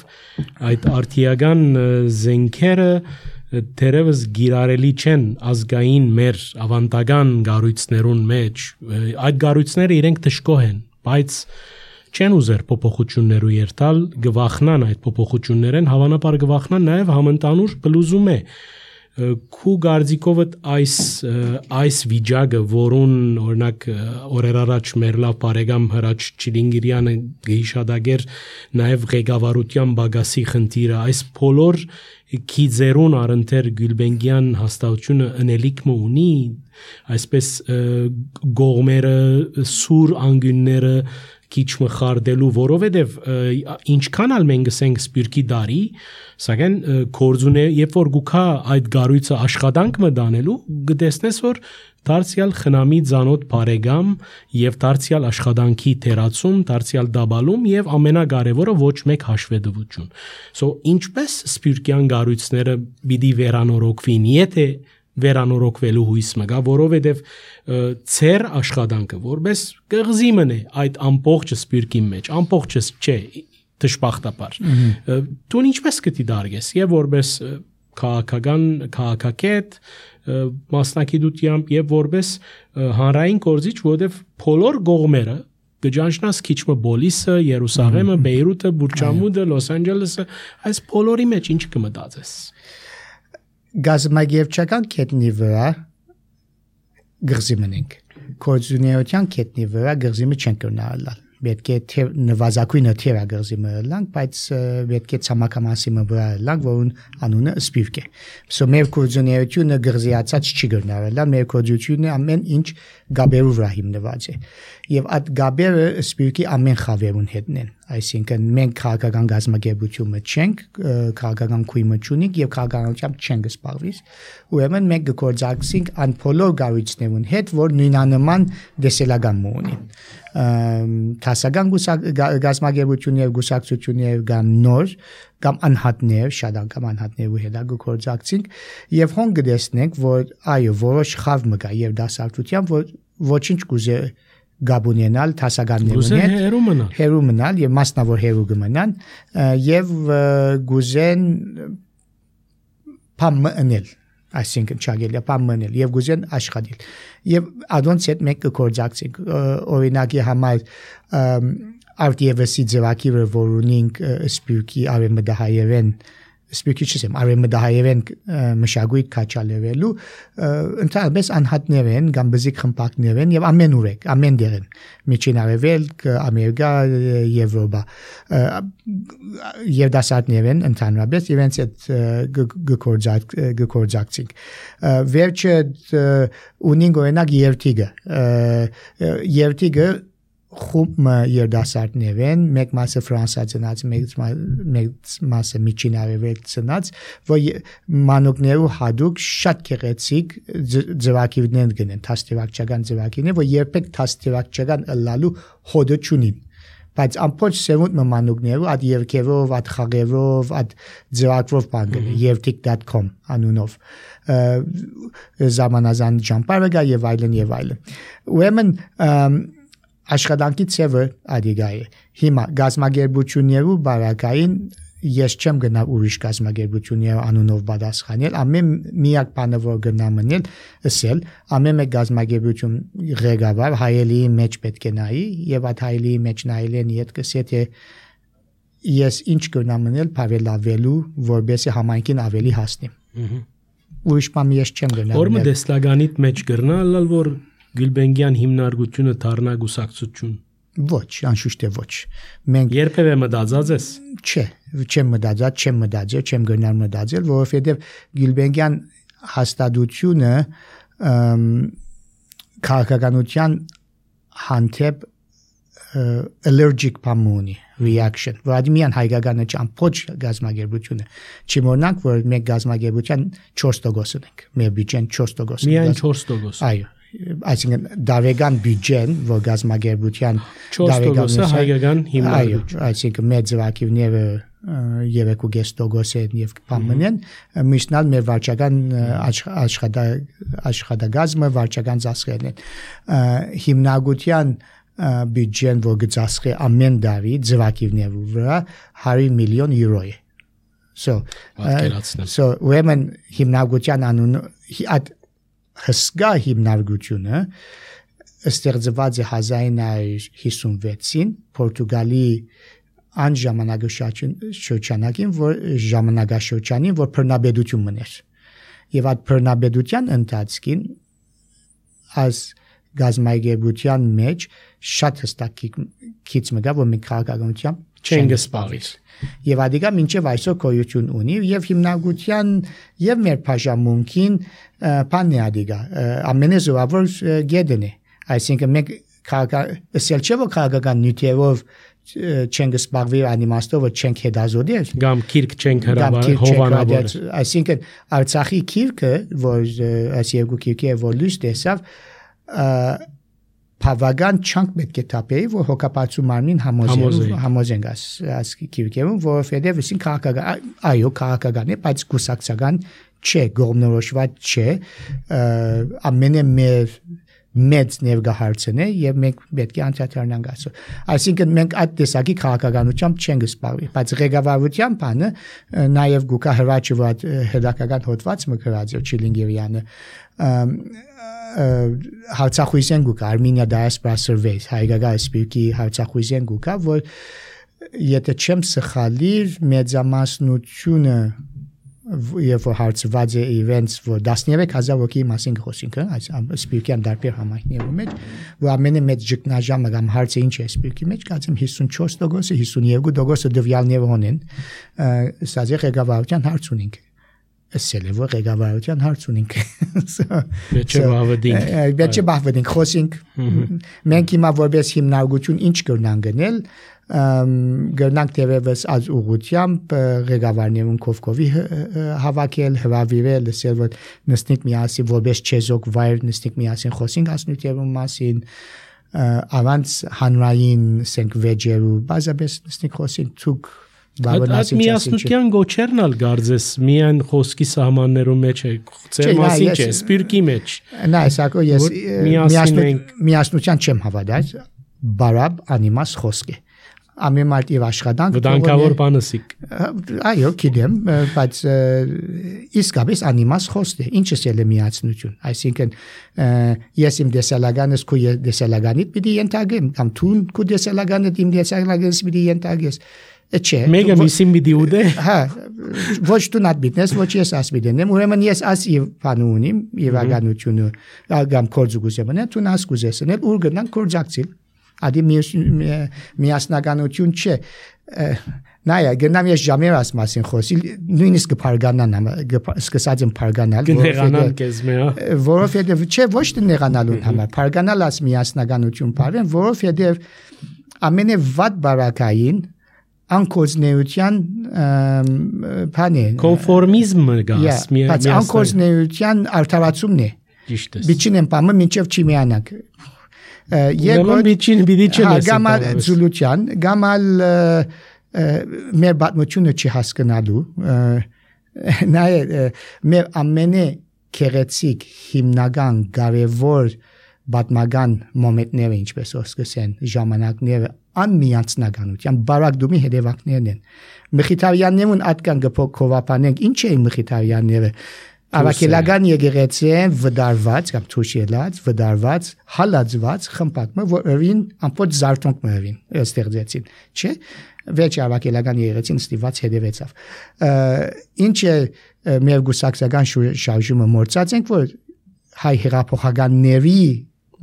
այդ արտիական զենքերը Թերևս գիրարելի չեն ազգային մեր ավանդական գառույցներուն մեջ այդ գառույցները իրենք դժգոհ են բայց չեն ուզեր փոփոխություններու երթալ գվախնան այդ փոփոխություններեն հավանաբար գվախնան նաև համընդանուր բլուզում է քու գարձիկովդ այս վիճակը որուն օրինակ օրեր առաջ մեր լավ բարեկամ Հրաչ Չիլինգիրյանը գիշադագեր նաև ղեկավարության բագասի խնդիրը այս բոլոր քիզերուն արընթեր Գյուլբենգյան հաստատությունը ընելիքը ունի այսպես գողմերը սուր անգյունները քիչ մխարդելու որովհետև ինչքան ալ մենք ասենք սպիրկի դարի սակայն կորձունե երբ որ գուքա այդ գառույցը աշխատանք մտանելու գտեսնես որ դարձյալ խնամի ցանոթ բարեկամ եւ դարձյալ աշխատանքի թերացում դարձյալ դաբալում եւ ամենակարևորը ոչ մեկ հաշվետվություն so ինչպես սպիրկյան գառույցները պիտի վերանորոգվին եթե վերանորոգվելու հույս մգա որովհետև ծեր աշխատանքը որպես կղզի մնե այդ ամբողջ սպիրկի մեջ ամբողջը չէ դժբախտաբար դու ինչպես կտի դարգես եւ որպես քաղաքագետ մասնակցությամբ եւ որպես հանրային գործիչ որովհետև բոլոր գողմերը գճանշնաս քիչմը Բոլիսը Երուսաղեմը Բեյրութը Բուրջամուդը Լոս Անջելեսը այս բոլորի մեջ ինչ կմտածես Գազամագերչական կետնի վրա գղզի մնենք կորձունեության կետնի վրա գղզիմը չեն կրնալ պետք է նվազագույնը թերագղզի մըլանք բայց պետք է ցամաքամասի վրա լանք որուն անունը սպիրկ է so մեր կորձունեությունը գղզիացած չի կրնալ մեր կորձությունը ամեն ինչ գաբերու վրա հիմնված է եւ այդ գաբերը սպիրկի ամեն խավերուն հետն են այսինքն մենք քաղաքական գազམ་ագերբությունը չենք քաղաքական քույմը չունենք եւ քաղաքականությամբ չենք սպառվիս ուրեմն մենք գործակցենք ան բոլոր գառույցներուն հետ որ նույնանման դեսելական ունին տասական գազམ་ագերբություն եւ գուսակցություններ կամ նոր կամ անհատներ շատ անգամ անհատներու հետ գործակցենք եւ հոն գտեսնենք որ այո որոշ խավ մգա եւ դասարտության որ ոչինչ կուզե գաբունենալ տասականներուն հետ հերու մնալ եւ մասնավոր հերու գմնան եւ գուզեն փամնել այսինքն չագելիա փամնել եւ գուզեն աշխատել եւ adonց հետ մեկ կորձակցենք օրինակի համար արտիևսի ձևակիրը որունինք սպիրկի արեմդահայերեն սպիրկի չեմ արեմդահայերեն մշակույթ կաչալերելու ընդհանրապես անհատներ են կամ բզիկ խմբակներ են եւ ամեն ուրեք ամեն դերեն միջին արևելք ամերիկա եվրոպա եւ դասատներ են ընդհանրապես իրենց հետ գործակցենք վերջը ունին օրինակ երթիգը խումբ երդասարտներ են մեկ մասը ֆրանսա ծնած մեկ մասը միջին արևել ծնած որ մանուկներու հadouk շատ գեղեցիկ ձևակիրներ գնեն թաստիվակչական ձևակիրներ որ երբեք թաստիվակչական ըլլալու հոդը չունին բայց ամբողջ սերունդ մանուկներու այդ երկերով այդ խաղերով այդ ձևակրով բանգել երթիկ.com անունով զամանազան ճամփարը գա եւ այլն ուրեմն աշխատանքի ծևը ադիգա է հիմա գազམ་ագերբություններու բարակային ես չեմ գնա ուրիշ գազམ་ագերբություններ անունով պատասխանել ամեն միակ բանը որ գնա մնել ասել ամեն մեկ գազམ་ագերբություն ղեկավար հայելի մեջ պետք է նայի եւ այդ հայելի մեջ նայելեն իդ կսի թե ես ինչ գնա մնել հավելավելու որբեսի համայնքին ավելի հասնի ուրիշ բան ես չեմ գնա որմը դեսլագանիտ մեջ գրնալ որ Գյուլբենգյան հիմնարկությունը դառնա գուսակցություն Ոչ, անշուշտ է ոչ։ Մենք երբևէ մտածած ես։ Չէ, չեմ մտածել, չեմ գնալ մտածել, որովհետև Գյուլբենգյան հաստատությունը քաղաքականության հանդեպ allergic պամունի reaction, որ միան հայկականը չամփոչ գազագերբությունը։ Չմոռանանք, որ մենք գազագերբության 4% ենք, մեր բյուջեն 4%։ Միայն 4%։ Այո, այսինքն դարեգան բյուջեն, որ գազագերբության 4%-ը հայկական հիմնադրույթ։ Այո, այսինքն մեր ծրագիրները 3.5% են եւ պամնեն, միշտալ մեր վարչական աշխատակազմը վարչական ծախսերն են։ Հիմնադրության բյուջեն, որ գծասխի ամեն տարի ծրագիրների վրա 100 միլիոն եվրո է։ So ուրեմն հիմնադրության անունը հսկա հիմնադրությունը ստեղծված է 1956-ին Պորտուգալի ժամանակաշրջանին, որ բռնապետություն մներ։ Եվ այդ բռնապետության ընթացքին այս գազագերբության մեջ շատ հստակ քիչ մգա, որ մենք քաղաքականությամբ չենք զբաղվել։ Եվ ադիգա մինչև այսօր գոյություն ունի եւ հիմնադրության եւ մեր բաժանմունքին բանն է ադիգա ամենազորավոր գեդն է։ Այսինքն մենք քաղաքական նյութերով չենք զբաղվել անիմաստով, չենք հետազոտել կամ քիրք չենք հովանավորել։ Այսինքն Արցախի քիրքը, որ այս երկու քիրքը որ լույս տեսավ, բավական չանք պետք է տապեի, որ հոգապարծու մարմին համոզենք այս քիրքերում, որովհետև իսին քաղաքական է, բայց կուսակցական չէ, գողմնորոշված չէ, ամենը մեծ ներգահարցն է եւ մենք պետք է անդրադառնանք այսօր։ Այսինքն մենք այդ տեսակի քաղաքականությամբ չենք զբաղվել, բայց ղեկավարության բանը նաեւ գուկա հրաչը հետաքական հոդված մկրած է Չիլինգերյանը հարցախույսեն գուկա Armenia Diaspora Survey հայկական սպիրկի հարցախույսեն գուկա, որ եթե չեմ սխալիր մեծամասնությունը եւ հարցված է events, որ 13000 հոգի մասին խոսինք, այս սպիրկյան դարբեր համայնքներում մեջ, որ ամենը մեծ ճգնաժամը կամ հարցը ինչ է սպիրկի մեջ, կարծեմ 54%-ը, 52%-ը դվյալներ ունեն, սա ղեկավարության հարց ունենք։ Ասել է, որ ղեկավարության հարց ունենք։ Պետք է բախվենք, խոսենք։ Մենք հիմա որպես հիմնարկություն ինչ կրնանք գնել, գնանք տևևս az ուղությամբ ղեկավարներուն կովկովի հավաքել, հրավիրել, ասել որ նստենք միասին որպես չեզոք վայր նստենք միասին խոսենք ասնույթերուն մասին, առանց հանրային սենք վեճերու բազաբես նստենք խոսենք ցուկ Այդ միասնության գոչերն ալ գարձես միայն խոսքի սահմաններում մեջ է, ծեր մասին չէ, սպիրկի մեջ։ Նա ասակո ես միասնության չեմ հավատալ, բարապ անիմաս խոսք է։ Ամեն մարդ իր աշխատանք վտանգավոր բանսիկ։ Այո, գիտեմ, բայց իսկապես անիմաս խոսք է։ Ինչ է միասնություն։ Այսինքն ես իմ դեսալագանս քո դեսալագանիդ պիտի ենթարկեմ, կամ դու քո դեսալագանդ իմ դեսալագանս պիտի ենթարկես։ Չէ։ Մեկը միսին մի դիուդե։ Հա, ոչ դու նատ բիտնես, ոչ ես ասպիդենեմ, ուրեմն ես աս իվանու ունիմ, իվագանությունը, կամ կորձուգուսեմն, դու նաս կուզեսնել, ուր գնանք կորձակցիլ։ Ադի միասնականություն չէ։ Նայա, գնամ ես ժամեր աս մասին խոսիլ, նույնիսկ կփարգանան, սկսած եմ փարգանալ, որովհետև չէ, ոչ թե նեղանալուն համար, փարգանալ աս միասնականություն բառեն, որովհետև ամենավատ բարակային անկոզնեության բան է կոնֆորմիզմը գաս բայց անկոզնեության արդարացումն է ճիշտ է բիչին եմ պամը մինչև չի միանանք Եկոն բիչին բիդի չես գամալ զուլուչյան գամալ մեր բացմությունը չի հասկանալու նա մեր ամենե քերեցիկ հիմնական կարևոր բատմական մոմենտները ինչպես ասկսեն ժամանակները անմիացնականության բարակդումի հետևանքներն են Մխիթարյաններուն ատկան գփոքովապանենք ինչ է Մխիթարյանները Ավակելական եկեղեցին վդարված կամ թուշելած վդարված հալածված խմբակը որին ամբողջ զարթոնք մերին ստեղծեցին չէ վեճ ավակելական եկեղեցին ստիված հետևեցավ ինչ է մեր գուսակցական շարժումը մորցած ենք որ հայ հեղափոխականների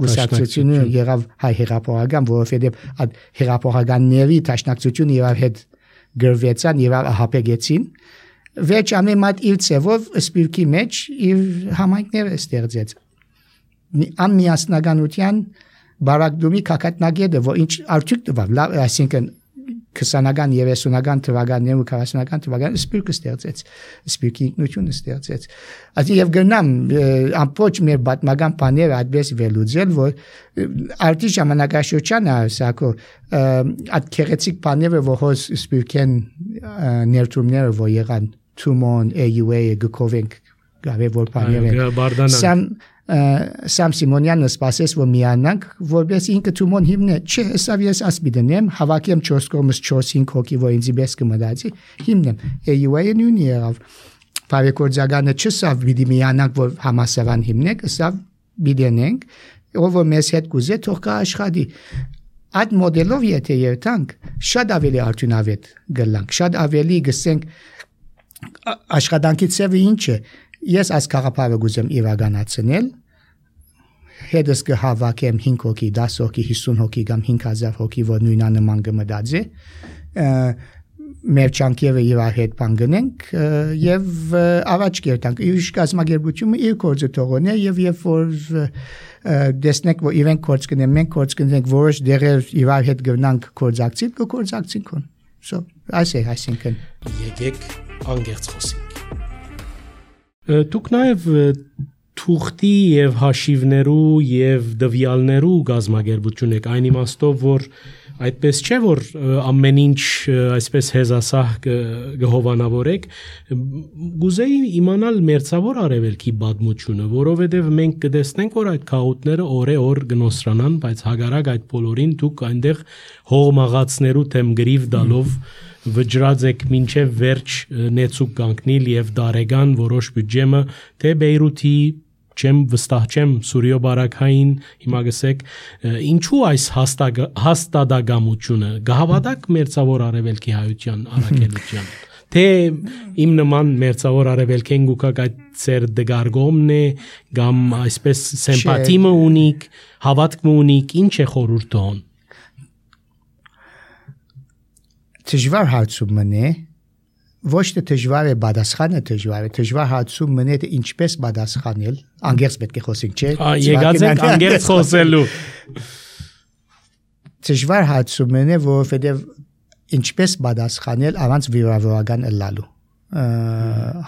Գուսակցությունը եղավ հայ հեղափոխական, որովհետև այդ հեղափոխականների տաշնակցությունը եւ հետ գրվեցան եւ ահապեգեցին վերջ ամեն մատ իր ծևով սպիրկի մեջ իր համայնքները ստեղծեց անմիասնականության բարակդումի կակատնագետը որ ինչ արդյունք տվավ այսինքն 20-ական 30-ական թվականներում 40-ական թվականներում սպիրկը ստեղծեց սպիրկի ինքնությունը ստեղծեց ասի եւ գնամ ամբողջ մեր պատմական բաները այդպես վերլուծել որ արդի ժամանակաշրջանը ասակո այդ քերեցիկ բաները որ հոս սպիրկեն ներդրումները որ եղան Թումոն AUA գկովենք գավե որ բաները Սամ Սիմոնյանը սպասեց որ միանանք որպես ինքը Թումոն հիմնե չէ հեսավ ես ասպիդենեմ հավաքեմ 4 կողմից 4-5 հոգի որ ինձ բես կմտածի հիմնեմ AUA-ը նույնի եղավ բարեկորձականը չսավ պիտի միանանք որ համասարան հիմնենք սավ բիդենենք ով որ մեզ հետ կուզե թող կա աշխատի այդ մոդելով եթե երթանք շատ ավելի արդյունավետ գլանք շատ ավելի գսենք աշխատանքի ծավալը ինչ է ես այս կաղապարը գուզեմ իրականացնել հետս կհավաքեմ 5 հոգի 10 հոգի 50 հոգի կամ 5000 հոգի որ նույնանման կմտածի մեր ճանկերը իր հետ բան գնենք եւ առաջ կերտանք իր կազմակերպությունը իր կորձը թողոնե եւ երբ որ դեսնենք որ իրենք կորձ կնեն մենք կորձ կնենք որոշ դերեր իր հետ գնանք կորձակցի կորձակցենք so այսինքն եկեք անգերց խոսենք Դուք նաև թուղթի եւ հաշիվներու եւ դվյալներու գազմագերբություն եք այն իմաստով որ այդպես չէ որ ամեն ինչ այսպես հեզասահ գհովանավորեք գուզեի իմանալ մերձավոր արևելքի բադմությունը որովհետեւ մենք կտեսնենք որ այդ քաուտները օրե-օր գնոսրանան բայց հագարակ այդ բոլորին դուք այնտեղ հողմաղացներու թեմ գրիվ դալով վճռած եք մինչև վերջ նեցուկ կանգնել եւ դարեգան որոշ բյուջեմը թե Բեյրութի չեմ վստահ չեմ Սուրիո բարակային հիմա գսեք ինչու այս հաստատակամությունը գահավատակ մերձավոր արևելքի հայության առաքելության թե իմ նման մերձավոր արևելքեն գուկակ այդ ծեր դգարգոմն է կամ այսպես սիմպաթիմը ունիք հավատքը ունիք ինչ է խորհուրդոն Դժվար հարցումն է ոչ թե դժվար է պատասխանը դժվար հարցումն է թե ինչպես պատասխանել անգերց պետք է խոսենք չէ եկած ենք անգերց խոսելու դժվար հարցումն է որովհետև ինչպես պատասխանել առանց վիրավորական ըլլալու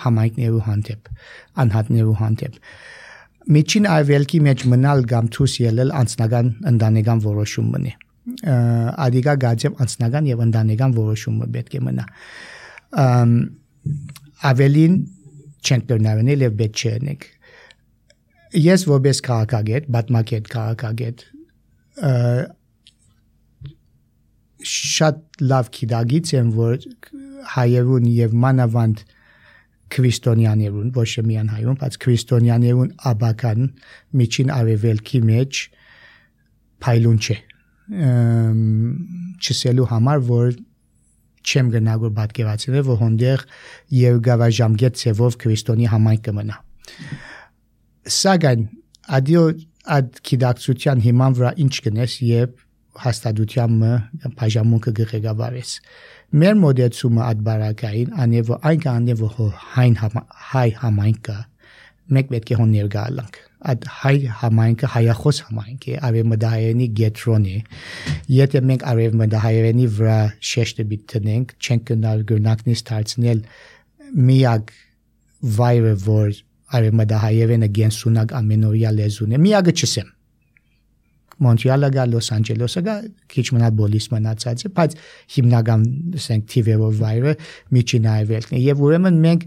համայնքներու հանդեպ անհատներու հանդեպ միջին արևելքի մեջ մնալ կամ դուրս ելնել անձնական ընտանեկան որոշումն է Ադիգա գաձեմ անձնական եւ ընտանեկան որոշումը պետք է մնա ավելին չենք դրնավնել եւ պետք չէ նեք ես որպես քաղաքագետ պատմակետ շատ լավ գիտագից եմ որ հայերուն եւ մանավանդ քրիստոնյաներուն ոչ միայն հայերուն բայց քրիստոնյաներուն աբական միջին արևելքի մեջ փայլուն չէ չսելու համար որ չեմ գնա որ պատկերացնել որ հոնդեր երկարաժամկետ ծևով քրիստոնի համայնք կմնա սակայն այդ գիտակցության հիման վրա ինչ կնես եւ հաստատությամբ բաժանմունքը գղեկավարես մեր մոդեցումը այդ բարակային անեվո այնքան որ հայ համայնքը մենք պետք է հոներ գալանք այդ հայ համայնքը հայախոս համայնք է արևմտահայերենի գետրոն է եթե մենք արևմտահայերենի վրա շեշտը բիտնենք չենք գնալ գնակնից դարձնել միակ վայրը որ արևմտահայերենը գենսունակ ամենօրյա լեզուն է միակը չսեմ Մոնտրեալը գա Լոս Անջելեսը գա քիչ մնալ բոլիս մնացած է բայց հիմնական ասենք թիվերով վայրը միջին արևելքն է եւ ուրեմն մենք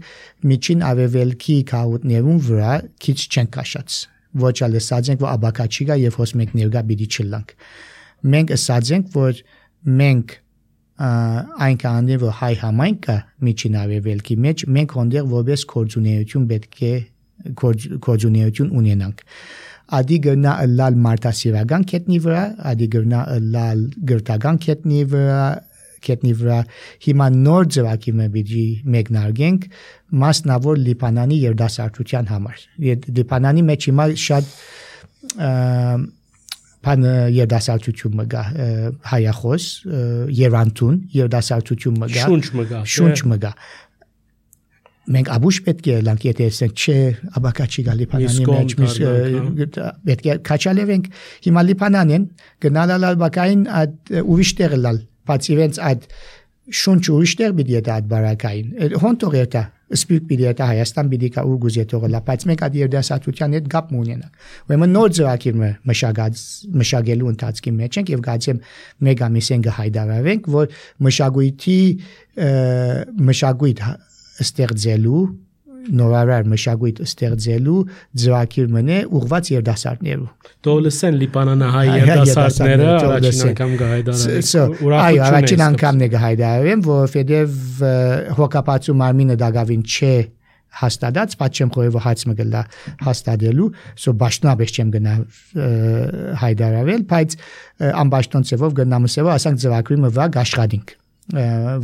միջին արևելքի քաղաքներուն վրա քիչ չենք կաշած ոչ այլ ասած ենք որ աբակաչի գա եւ հոս մենք ներգա բիդի չլանք մենք ասած ենք որ մենք այնքան որ հայ համայնքը միջին արևելքի մեջ մենք հոնդեր որպես կորձունեություն պետք է կորձունեություն ունենանք Ադի գնա լալ մարտասիրական կետնի վրա, ադի գնա լալ գրտական կետնի վրա, հիմա նոր ձևակի մբիջի մեկնարգենք մասնավոր Լիբանանի երդասարտության համար։ Լիբանանի մեջ հիմա շատ pan երդասարտություն մգա հայախոս Երանտուն երդասարտություն մգա շունչ մգա մենք աբուշ պետք է լանք եթե ասենք չէ աբակաչի գալի փանանի մեջ պետք է քաչալևենք հիմա լիփանանեն գնալալ բակային ուրիշ տեղ լալ բաց իրենց այդ շունչ ուրիշ տեղ պիտի դա բարակային հոնտոր դա սպիրտ պիտի դա Հայաստան պիտի կա ուր գուզե թողլա բայց մենք այդ երդասարտության հետ գապ ունենանք ուրեմն նոր ծրագիր մշակելու ընթացքի մեջ ենք եւ գացեմ մեկ ամիս են գահայդարավենք որ մշակույթ ստեղծելու նորարար մշակույթ ստեղծելու ծրագիր մնե ուղված երդասարտներու Տոլսեն լիբանանահայ երդասարտները առաջին անգամ գահայդարավեն այո առաջին անգամն է գահայդարավեն որովհետև հոգապացու մարմինը դակավին չէ հաստատած բայց չեմ խորհեւ հաց մգլա հաստատելու սո բաշտնաբեշ չեմ գնա հայդարավել բայց անբաշտոն ծևով գնամսեվով ասանք ծրագրի մվա աշխատինք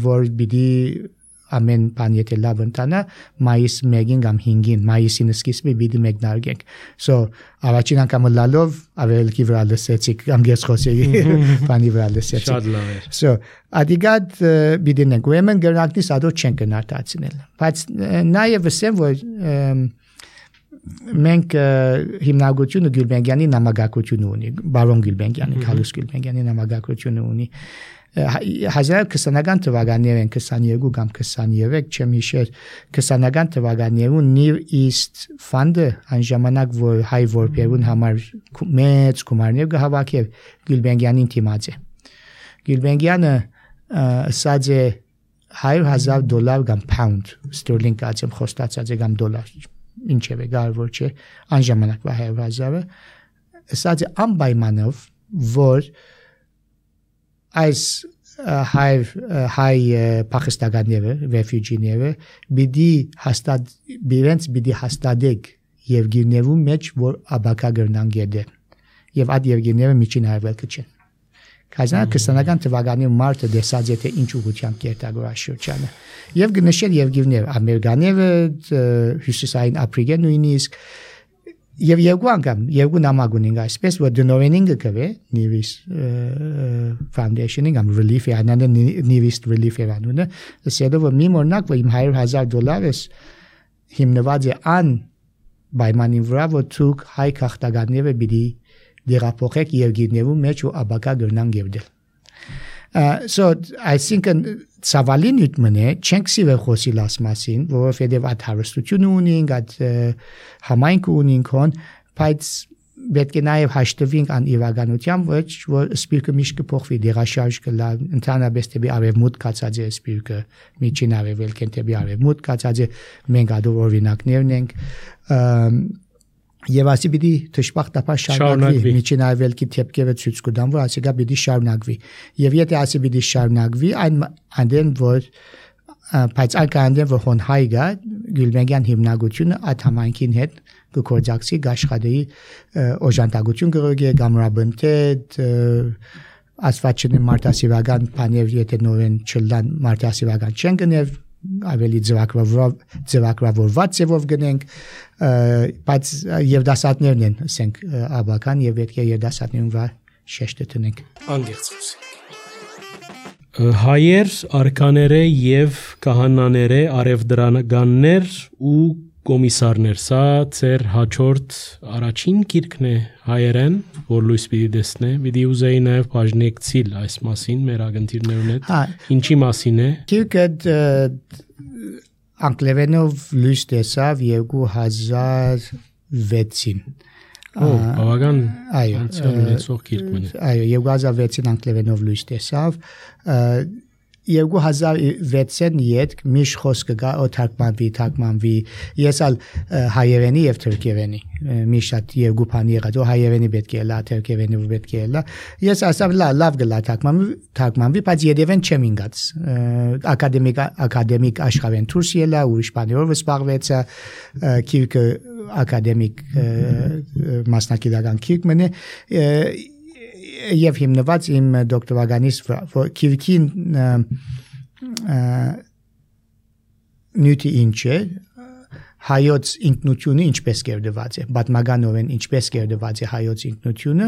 որ պիտի ամեն բան եթե լավ ընտանա մայիս 1-ին կամ 5-ին մայիսին սկիզբի պիտի մեկնարկենք so առաջին անգամ լալով ավելքի վրա լսեցիք կամ գեսխոսեի բանի վրա լսեցիք շատ լավ էր so ադիգատ պիտինենք ուրեմն գրանքնի սադո չեն կնարտացնել բայց նաև ասեմ որ մենք հիմնագությունը Գյուլբենգյանի նամակագրությունը ունի բարոն Գյուլբենգյանի Քալուս Գյուլբենգյանի նամակագրությունը ունի 1920-ական թվականներին 22 կամ 23 չեմ հիշեր 20-ական թվականներին Near East Fund-ը այն ժամանակ որ հայ որբերուն համար մեծ գումարներ գահավաքեր Գյուլբենգյանին թիմած է Գյուլբենգյանը ասած է $100,000 կամ pound sterling կացեմ խոստացած է կամ դոլար ինչև է կարևոր չէ այն ժամանակվա 100,000-ը ասած է անպայմանով որ այս հայ փախստականները ռեֆյուջիները պիտի հաստատեք Եվգենիևու մեջ որ աբակա գրնան գեդե եւ այդ Եվգենիևը միջին հայվելքը չեն Կազան 20-ական թվականի մարտը դեսած է թե ինչ ուղղությամբ կերտագոր աշխուժանը եւ գնշել Եվգենիև ամերկաները հյուսիսային ապրիգը նույնիսկ Եվ երկու անգամ երկու նամակ ունենք այսպես որ դնորենին գկվե Nevis Foundation-ին կամ Relief Anand Nevis Relief Anand-ը ասելով որ մի մորնակ որ իմ $100,000 հիմնված է ան պայմանին վրա որ ցուկ հայ քաղաքականները պիտի դերապոխեք Եվգենիևու մեջ ու աբակա գրնան գերդել so I think ցավալին յութմնե չենք սիրել խոսիլ ասմասին որովհետև այդ հարստությունը ունենք այդ համայնք ունենք հոն բայց պետք է նաև հաշտվենք ան իրականությամբ որ սպիրկը միշտ կփոխվի դերաշարժ կլա ընդհանրապես դեպի արևմուտք կացած է սպիրկը միջին արևելքեն դեպի արևմուտք կացած է մենք ադոր օրինակներն ենք Եվ ասի պիտի թշպախտապար շարունակվի միջին արևելքի թեփքերը ցույց կտան որ ասի գա պիտի շարունակվի եւ եթե ասի պիտի շարունակվի այնտեն որ բայց այնքան որ հոն հայգա Գյուլբենգյան հիմնագությունը այդ համայնքին հետ կկործակցի գաշխադեի օժանդակություն կրոգի գամրաբնտետ ասֆաչնի մարտասիվական բաներ եթե նորեն չլան մարտասիվական չեն գնել ավելի ձևակրավորված ձևով գնենք բայց երդասարտներն են ասենք աբական եւ պետք է երդասարտներուն վրա շեշտը տնենք անգերց խոսենք հայեր արքաները եւ կահանաները արևդրանականներ ու կոմիսարներ սա ծեր հաջորդ առաջին գիրքն է հայերեն որ լույս պիտի դեսնե պիտի ուզեի նաեւ բաժնեկցիլ այս մասին մեր ագընթիրներուն հետ ինչի մասին է գիրքը անգլերենով լույս տեսավ 2006-ին բավական անցյալեցող գիրք մնա այո 2006-ին անգլերենով լույս տեսավ 2006-ին յետք միշ խոսքը գա թարգմանվի ես ալ հայերենի եւ թուրքերենի միշտ երկու բան եղած հայերենի պետք է լա թուրքերենի պետք է լա ես ասав լավ գլա թարգմանվի բայց երևեն չեմ ինգած ակադեմիկ աշխարհեն դուրս ելա ուրիշ բաներով զբաղվեցա քիրքը ակադեմիկ մասնակցական քիրք մնե եւ հիմնված իմ դոկտորականից որ քիրքին նյութի ինչ է հայոց ինքնությունը ինչպես կերդված է, պատմականորեն ինչպես կերդված է հայոց ինքնությունը,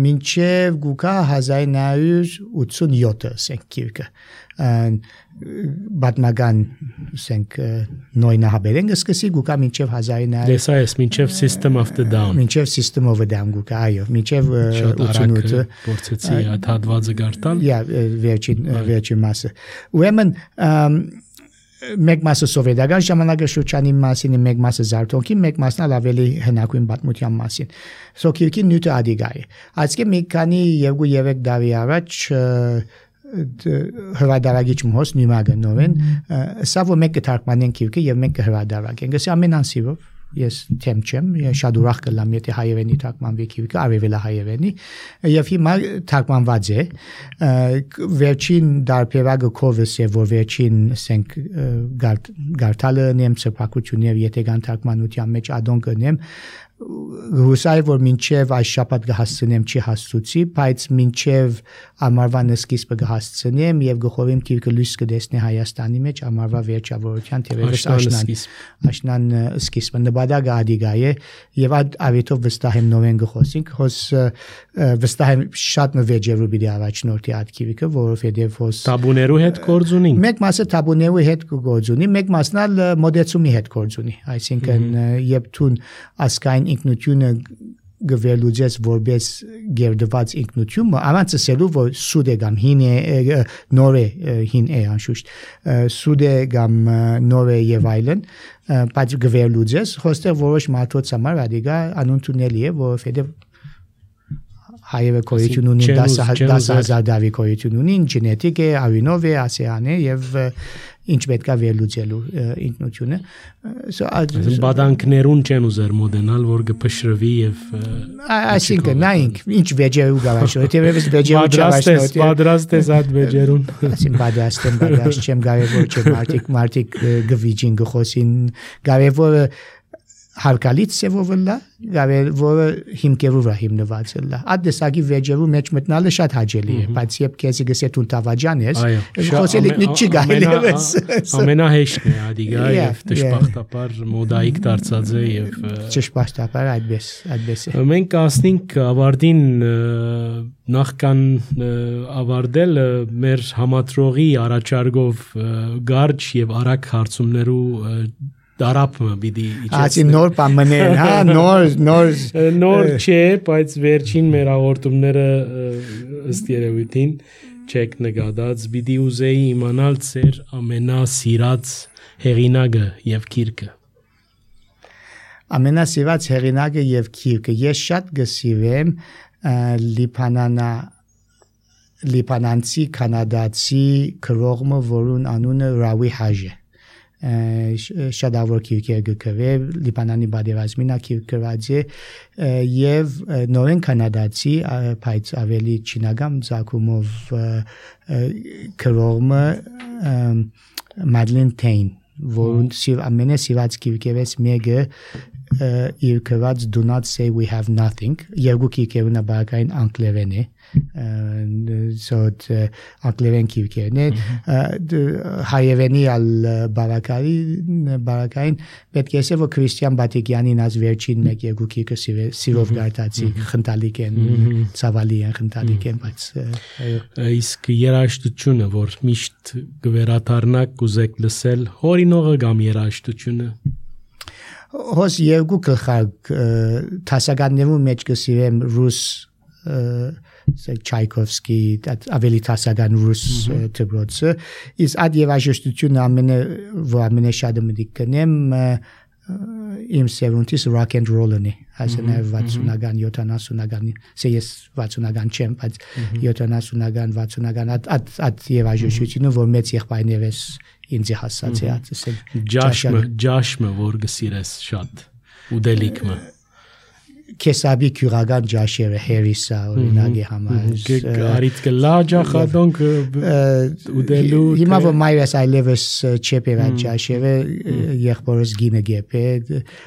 մինչև գուկա 1987 ասենք գիրքը, պատմական ասենք նոյնահաբերեն սկսի գուկա մինչև 1900 Դեսա ես մինչև System of the Down մինչև System of the Down գուկա, այո, մինչև 88-ը փորձեցի այդ հատվածը գարտալ վերջին մասը, ուրեմն մեկ մասը սովետական ժամանակաշրջանի մասին, մեկ մասը զարթոնքի, մեկ մասն ավելի հնագույն պատմության մասին։ Սոկիրքի նյութը ադիգա է։ Այսինքն մի քանի 2-3 տարի առաջ հրադարագիչ մոս նյումագը նորեն, սա որ մենք կթարգմանենք գիրքը եւ մենք կհրադարագենք։ Գսի ամեն անսիրով ես թեմ չեմ, շատ ուրախ կլամ, եթե հայերենի թարգմանվի գիրքը, արևելա հայերենի, եւ հիմա թարգմանված է, վերջին դարբերակը կովս է, որ վերջին ասենք գարտալը նեմ սրբակություններ, եթե կան թարգմանության մեջ ադոն կնեմ, հուսայ որ մինչև այս շաբաթ կհասցնեմ չի հասցուցի, բայց մինչև ամառվան սկիզբը կհասցնեմ եւ գխովեմ գիրքը լույս կտեսնի Հայաստանի մեջ ամառվա վերջավորության թերևս աշնան սկիզբը նպատակը ադիգա է եւ ավետով վստահ եմ նորեն գխոսենք, հոս վստահ եմ շատ նվեջերու պիտի առաջնորդի այդ գիրքը, որովհետեւ հոս տաբուներու հետ գործ ունի։ Մեկ մասը տաբուներու հետ գործ ունի, մեկ մասն ալ մոդեցումի հետ գործ ունի, այսինքն երբ թուն ասկային ինքնությունը գվելուձես որպես գերդված ինքնություն, առանց ասելու որ սուդ է կամ հին է, նոր է, հին է անշուշտ, սուդ է կամ նոր է եւ այլն, բայց գվելուձես, հոստեղ որոշ մարդոց համար ադիգա անընդունելի է, որովհետեւ հայերը կոյություն ունին 10,000 դավի կոյություն ունին, գենետիկ է, ավինով է, ասեան է եւ ինչ պետք է վերլուծելու ինքնությունը բադանքներուն չեն ուզեր մոդենալ որ կփշրվի եւ այսինքն նայինք ինչ վեճերու գավաշո թեւս վեճերու չավաշնոտ պատրաստ ես այդ վեճերուն ասին պատրաստ չեմ կարևոր չէ մարդիկ գվիջին գխոսին կարևորը հարկալից սևովլա որը հիմքերով հիմնված է այդ դեսագի վեճերու մեջ մտնալը շատ հաճելի է բայց երբ քեզի գսե տուն տավաջան ես խոսել իտնի չի գալիս ամենահեշտն է ադիգա եւ դժբախտաբար մոդայիկ դարձած է եւ դժբախտաբար այդպես է մենք ասնենք ավարտին նախքան ավարտել մեր համատրողի առաջարկով գարջ եւ արագ հարցումներու Դարապը պիտի իջեցնի նոր բաներ, հա, նոր չէ, բայց վերջին մեր հաղորդումները ըստ երևույթին չեք նկատած, պիտի ուզեի իմանալ ձեր ամենասիրած հեղինակը եւ գիրքը։ Ամենասիրած հեղինակը եւ գիրքը ես շատ գսիրեմ լիբանանցի կանադացի քրողը, որուն անունը Ռավի Հաժ է։ Շատ ավոր գիրքեր գկրել Լիբանանի պատերազմին գիրքրած է եւ նորեն կանադացի բայց ավելի չինական ցակումով քրողը Մադլեն Թեյն որուն ամենասիրած գիրքերից մեկը իր գրած Do not say we have nothing երկու գիրքերն բակային անգլերեն է անգլերեն գիրքերն է հայերենի ալ բարակային պետք է ասել որ Քրիստիան Բատիկյանին аз վերջին մեկ երկու գիրքը սիրով գարտացի խնդալիք են ցավալի են խնդալիք են բայց իսկ երաժշտությունը որ միշտ գվերաթարնակ կուզեք լսել հորինողը կամ երաժշտությունը Հոս երկու գլխարկ տասականներու մեջ կսիրեմ ռուս Չայկովսկի ավելի տասական ռուս դպրոցը իսկ այդ երաժշտությունը ամենաշատը մտիկ կնեմ իմ սերունդիս rock and roll-ն է այսինքն 60-ական 70-ական ես 60-ական չեմ բայց 70-ական 60-ական այդ երաժշտությունը որ մեծ եղբայրներս ինձ հասած է ասել ջաշմը որ գսիրես շատ ուդելիքը կեսաբի քյուրական ջաշերը հերիսա օրինակի համար արիտ կլա ջախադոնք ուդելու հիմա որ մայրս այլևս չեպերա ջաշերը եղբորս գինը գեփե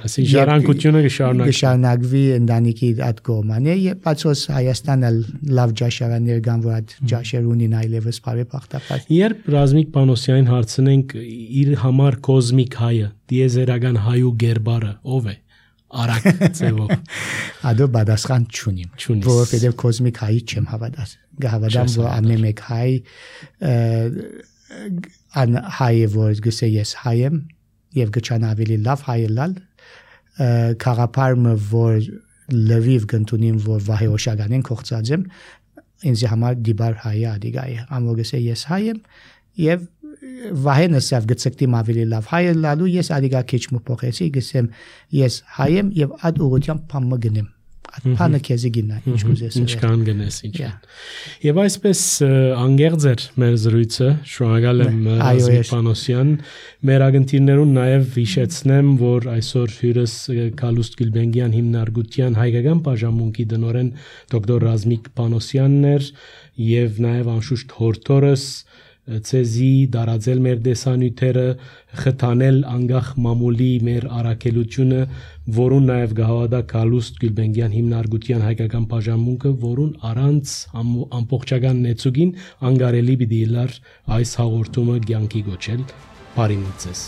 ասի ժառանգությունը կշարունակվի ընտանիքի այդ կողմանը եւ բացոս Հայաստանը լավ ջաշարաններ կան որ այդ ջաշեր ունին այլևս բարեբախտաբար երբ Ռազմիկ Պանոսյանին հարցնենք իր համար կոզմիկ հայը դիեզերական հայու գերբարը ով է Արակ ծևով Ադո բադասխան չունիմ որովհետև կոսմիկ հայի չեմ հավատամ որ ամեն մեկ հայ հայը որ գսե ես հայ եմ եւ գչան ավելի լավ հայը լալ քաղապարմը որ լվիվ գտնունին որ վահե օշագանեն կողծած եմ ինձ համար դիբար հայ ադիգայ ամո գսե ես հայ եմ եւ վահենը սավ գծկտի ավելի լավ հայը լալու ես ադիգա քիչ մփոխեցի գսեմ ես հայ եմ եւ այդ ուղղությամբ փամը գնեմ այդ փանը քեզի գինա ինչ կուզես ինչքան գնես ինչ եւ այսպես անգերձ էր մեր զրույցը շնորհակալ եմ Ռազմիկ Պանոսյան մեր ագնտիրներուն նաեւ հիշեցնեմ որ այսօր հյուրս Կալուստ Գյուլբենգյան հիմնարկության հայկական բաժանմունքի դնորեն դոկտոր Ռազմիկ Պանոսյանն էր եւ նաեւ անշուշտ հորթորս ցեզի դարաձել մեր դեսանյութերը խթանել անգախ մամուլի մեր արաքելությունը որուն նաև գահավադա Կալուստ Գյուլբենգյան հիմնարկության հայկական բաժանմունքը որուն առանց ամբողջական նեցուգին անգարելի պիտի լար այս հաղորդումը կյանքի գոչել բարի մտցես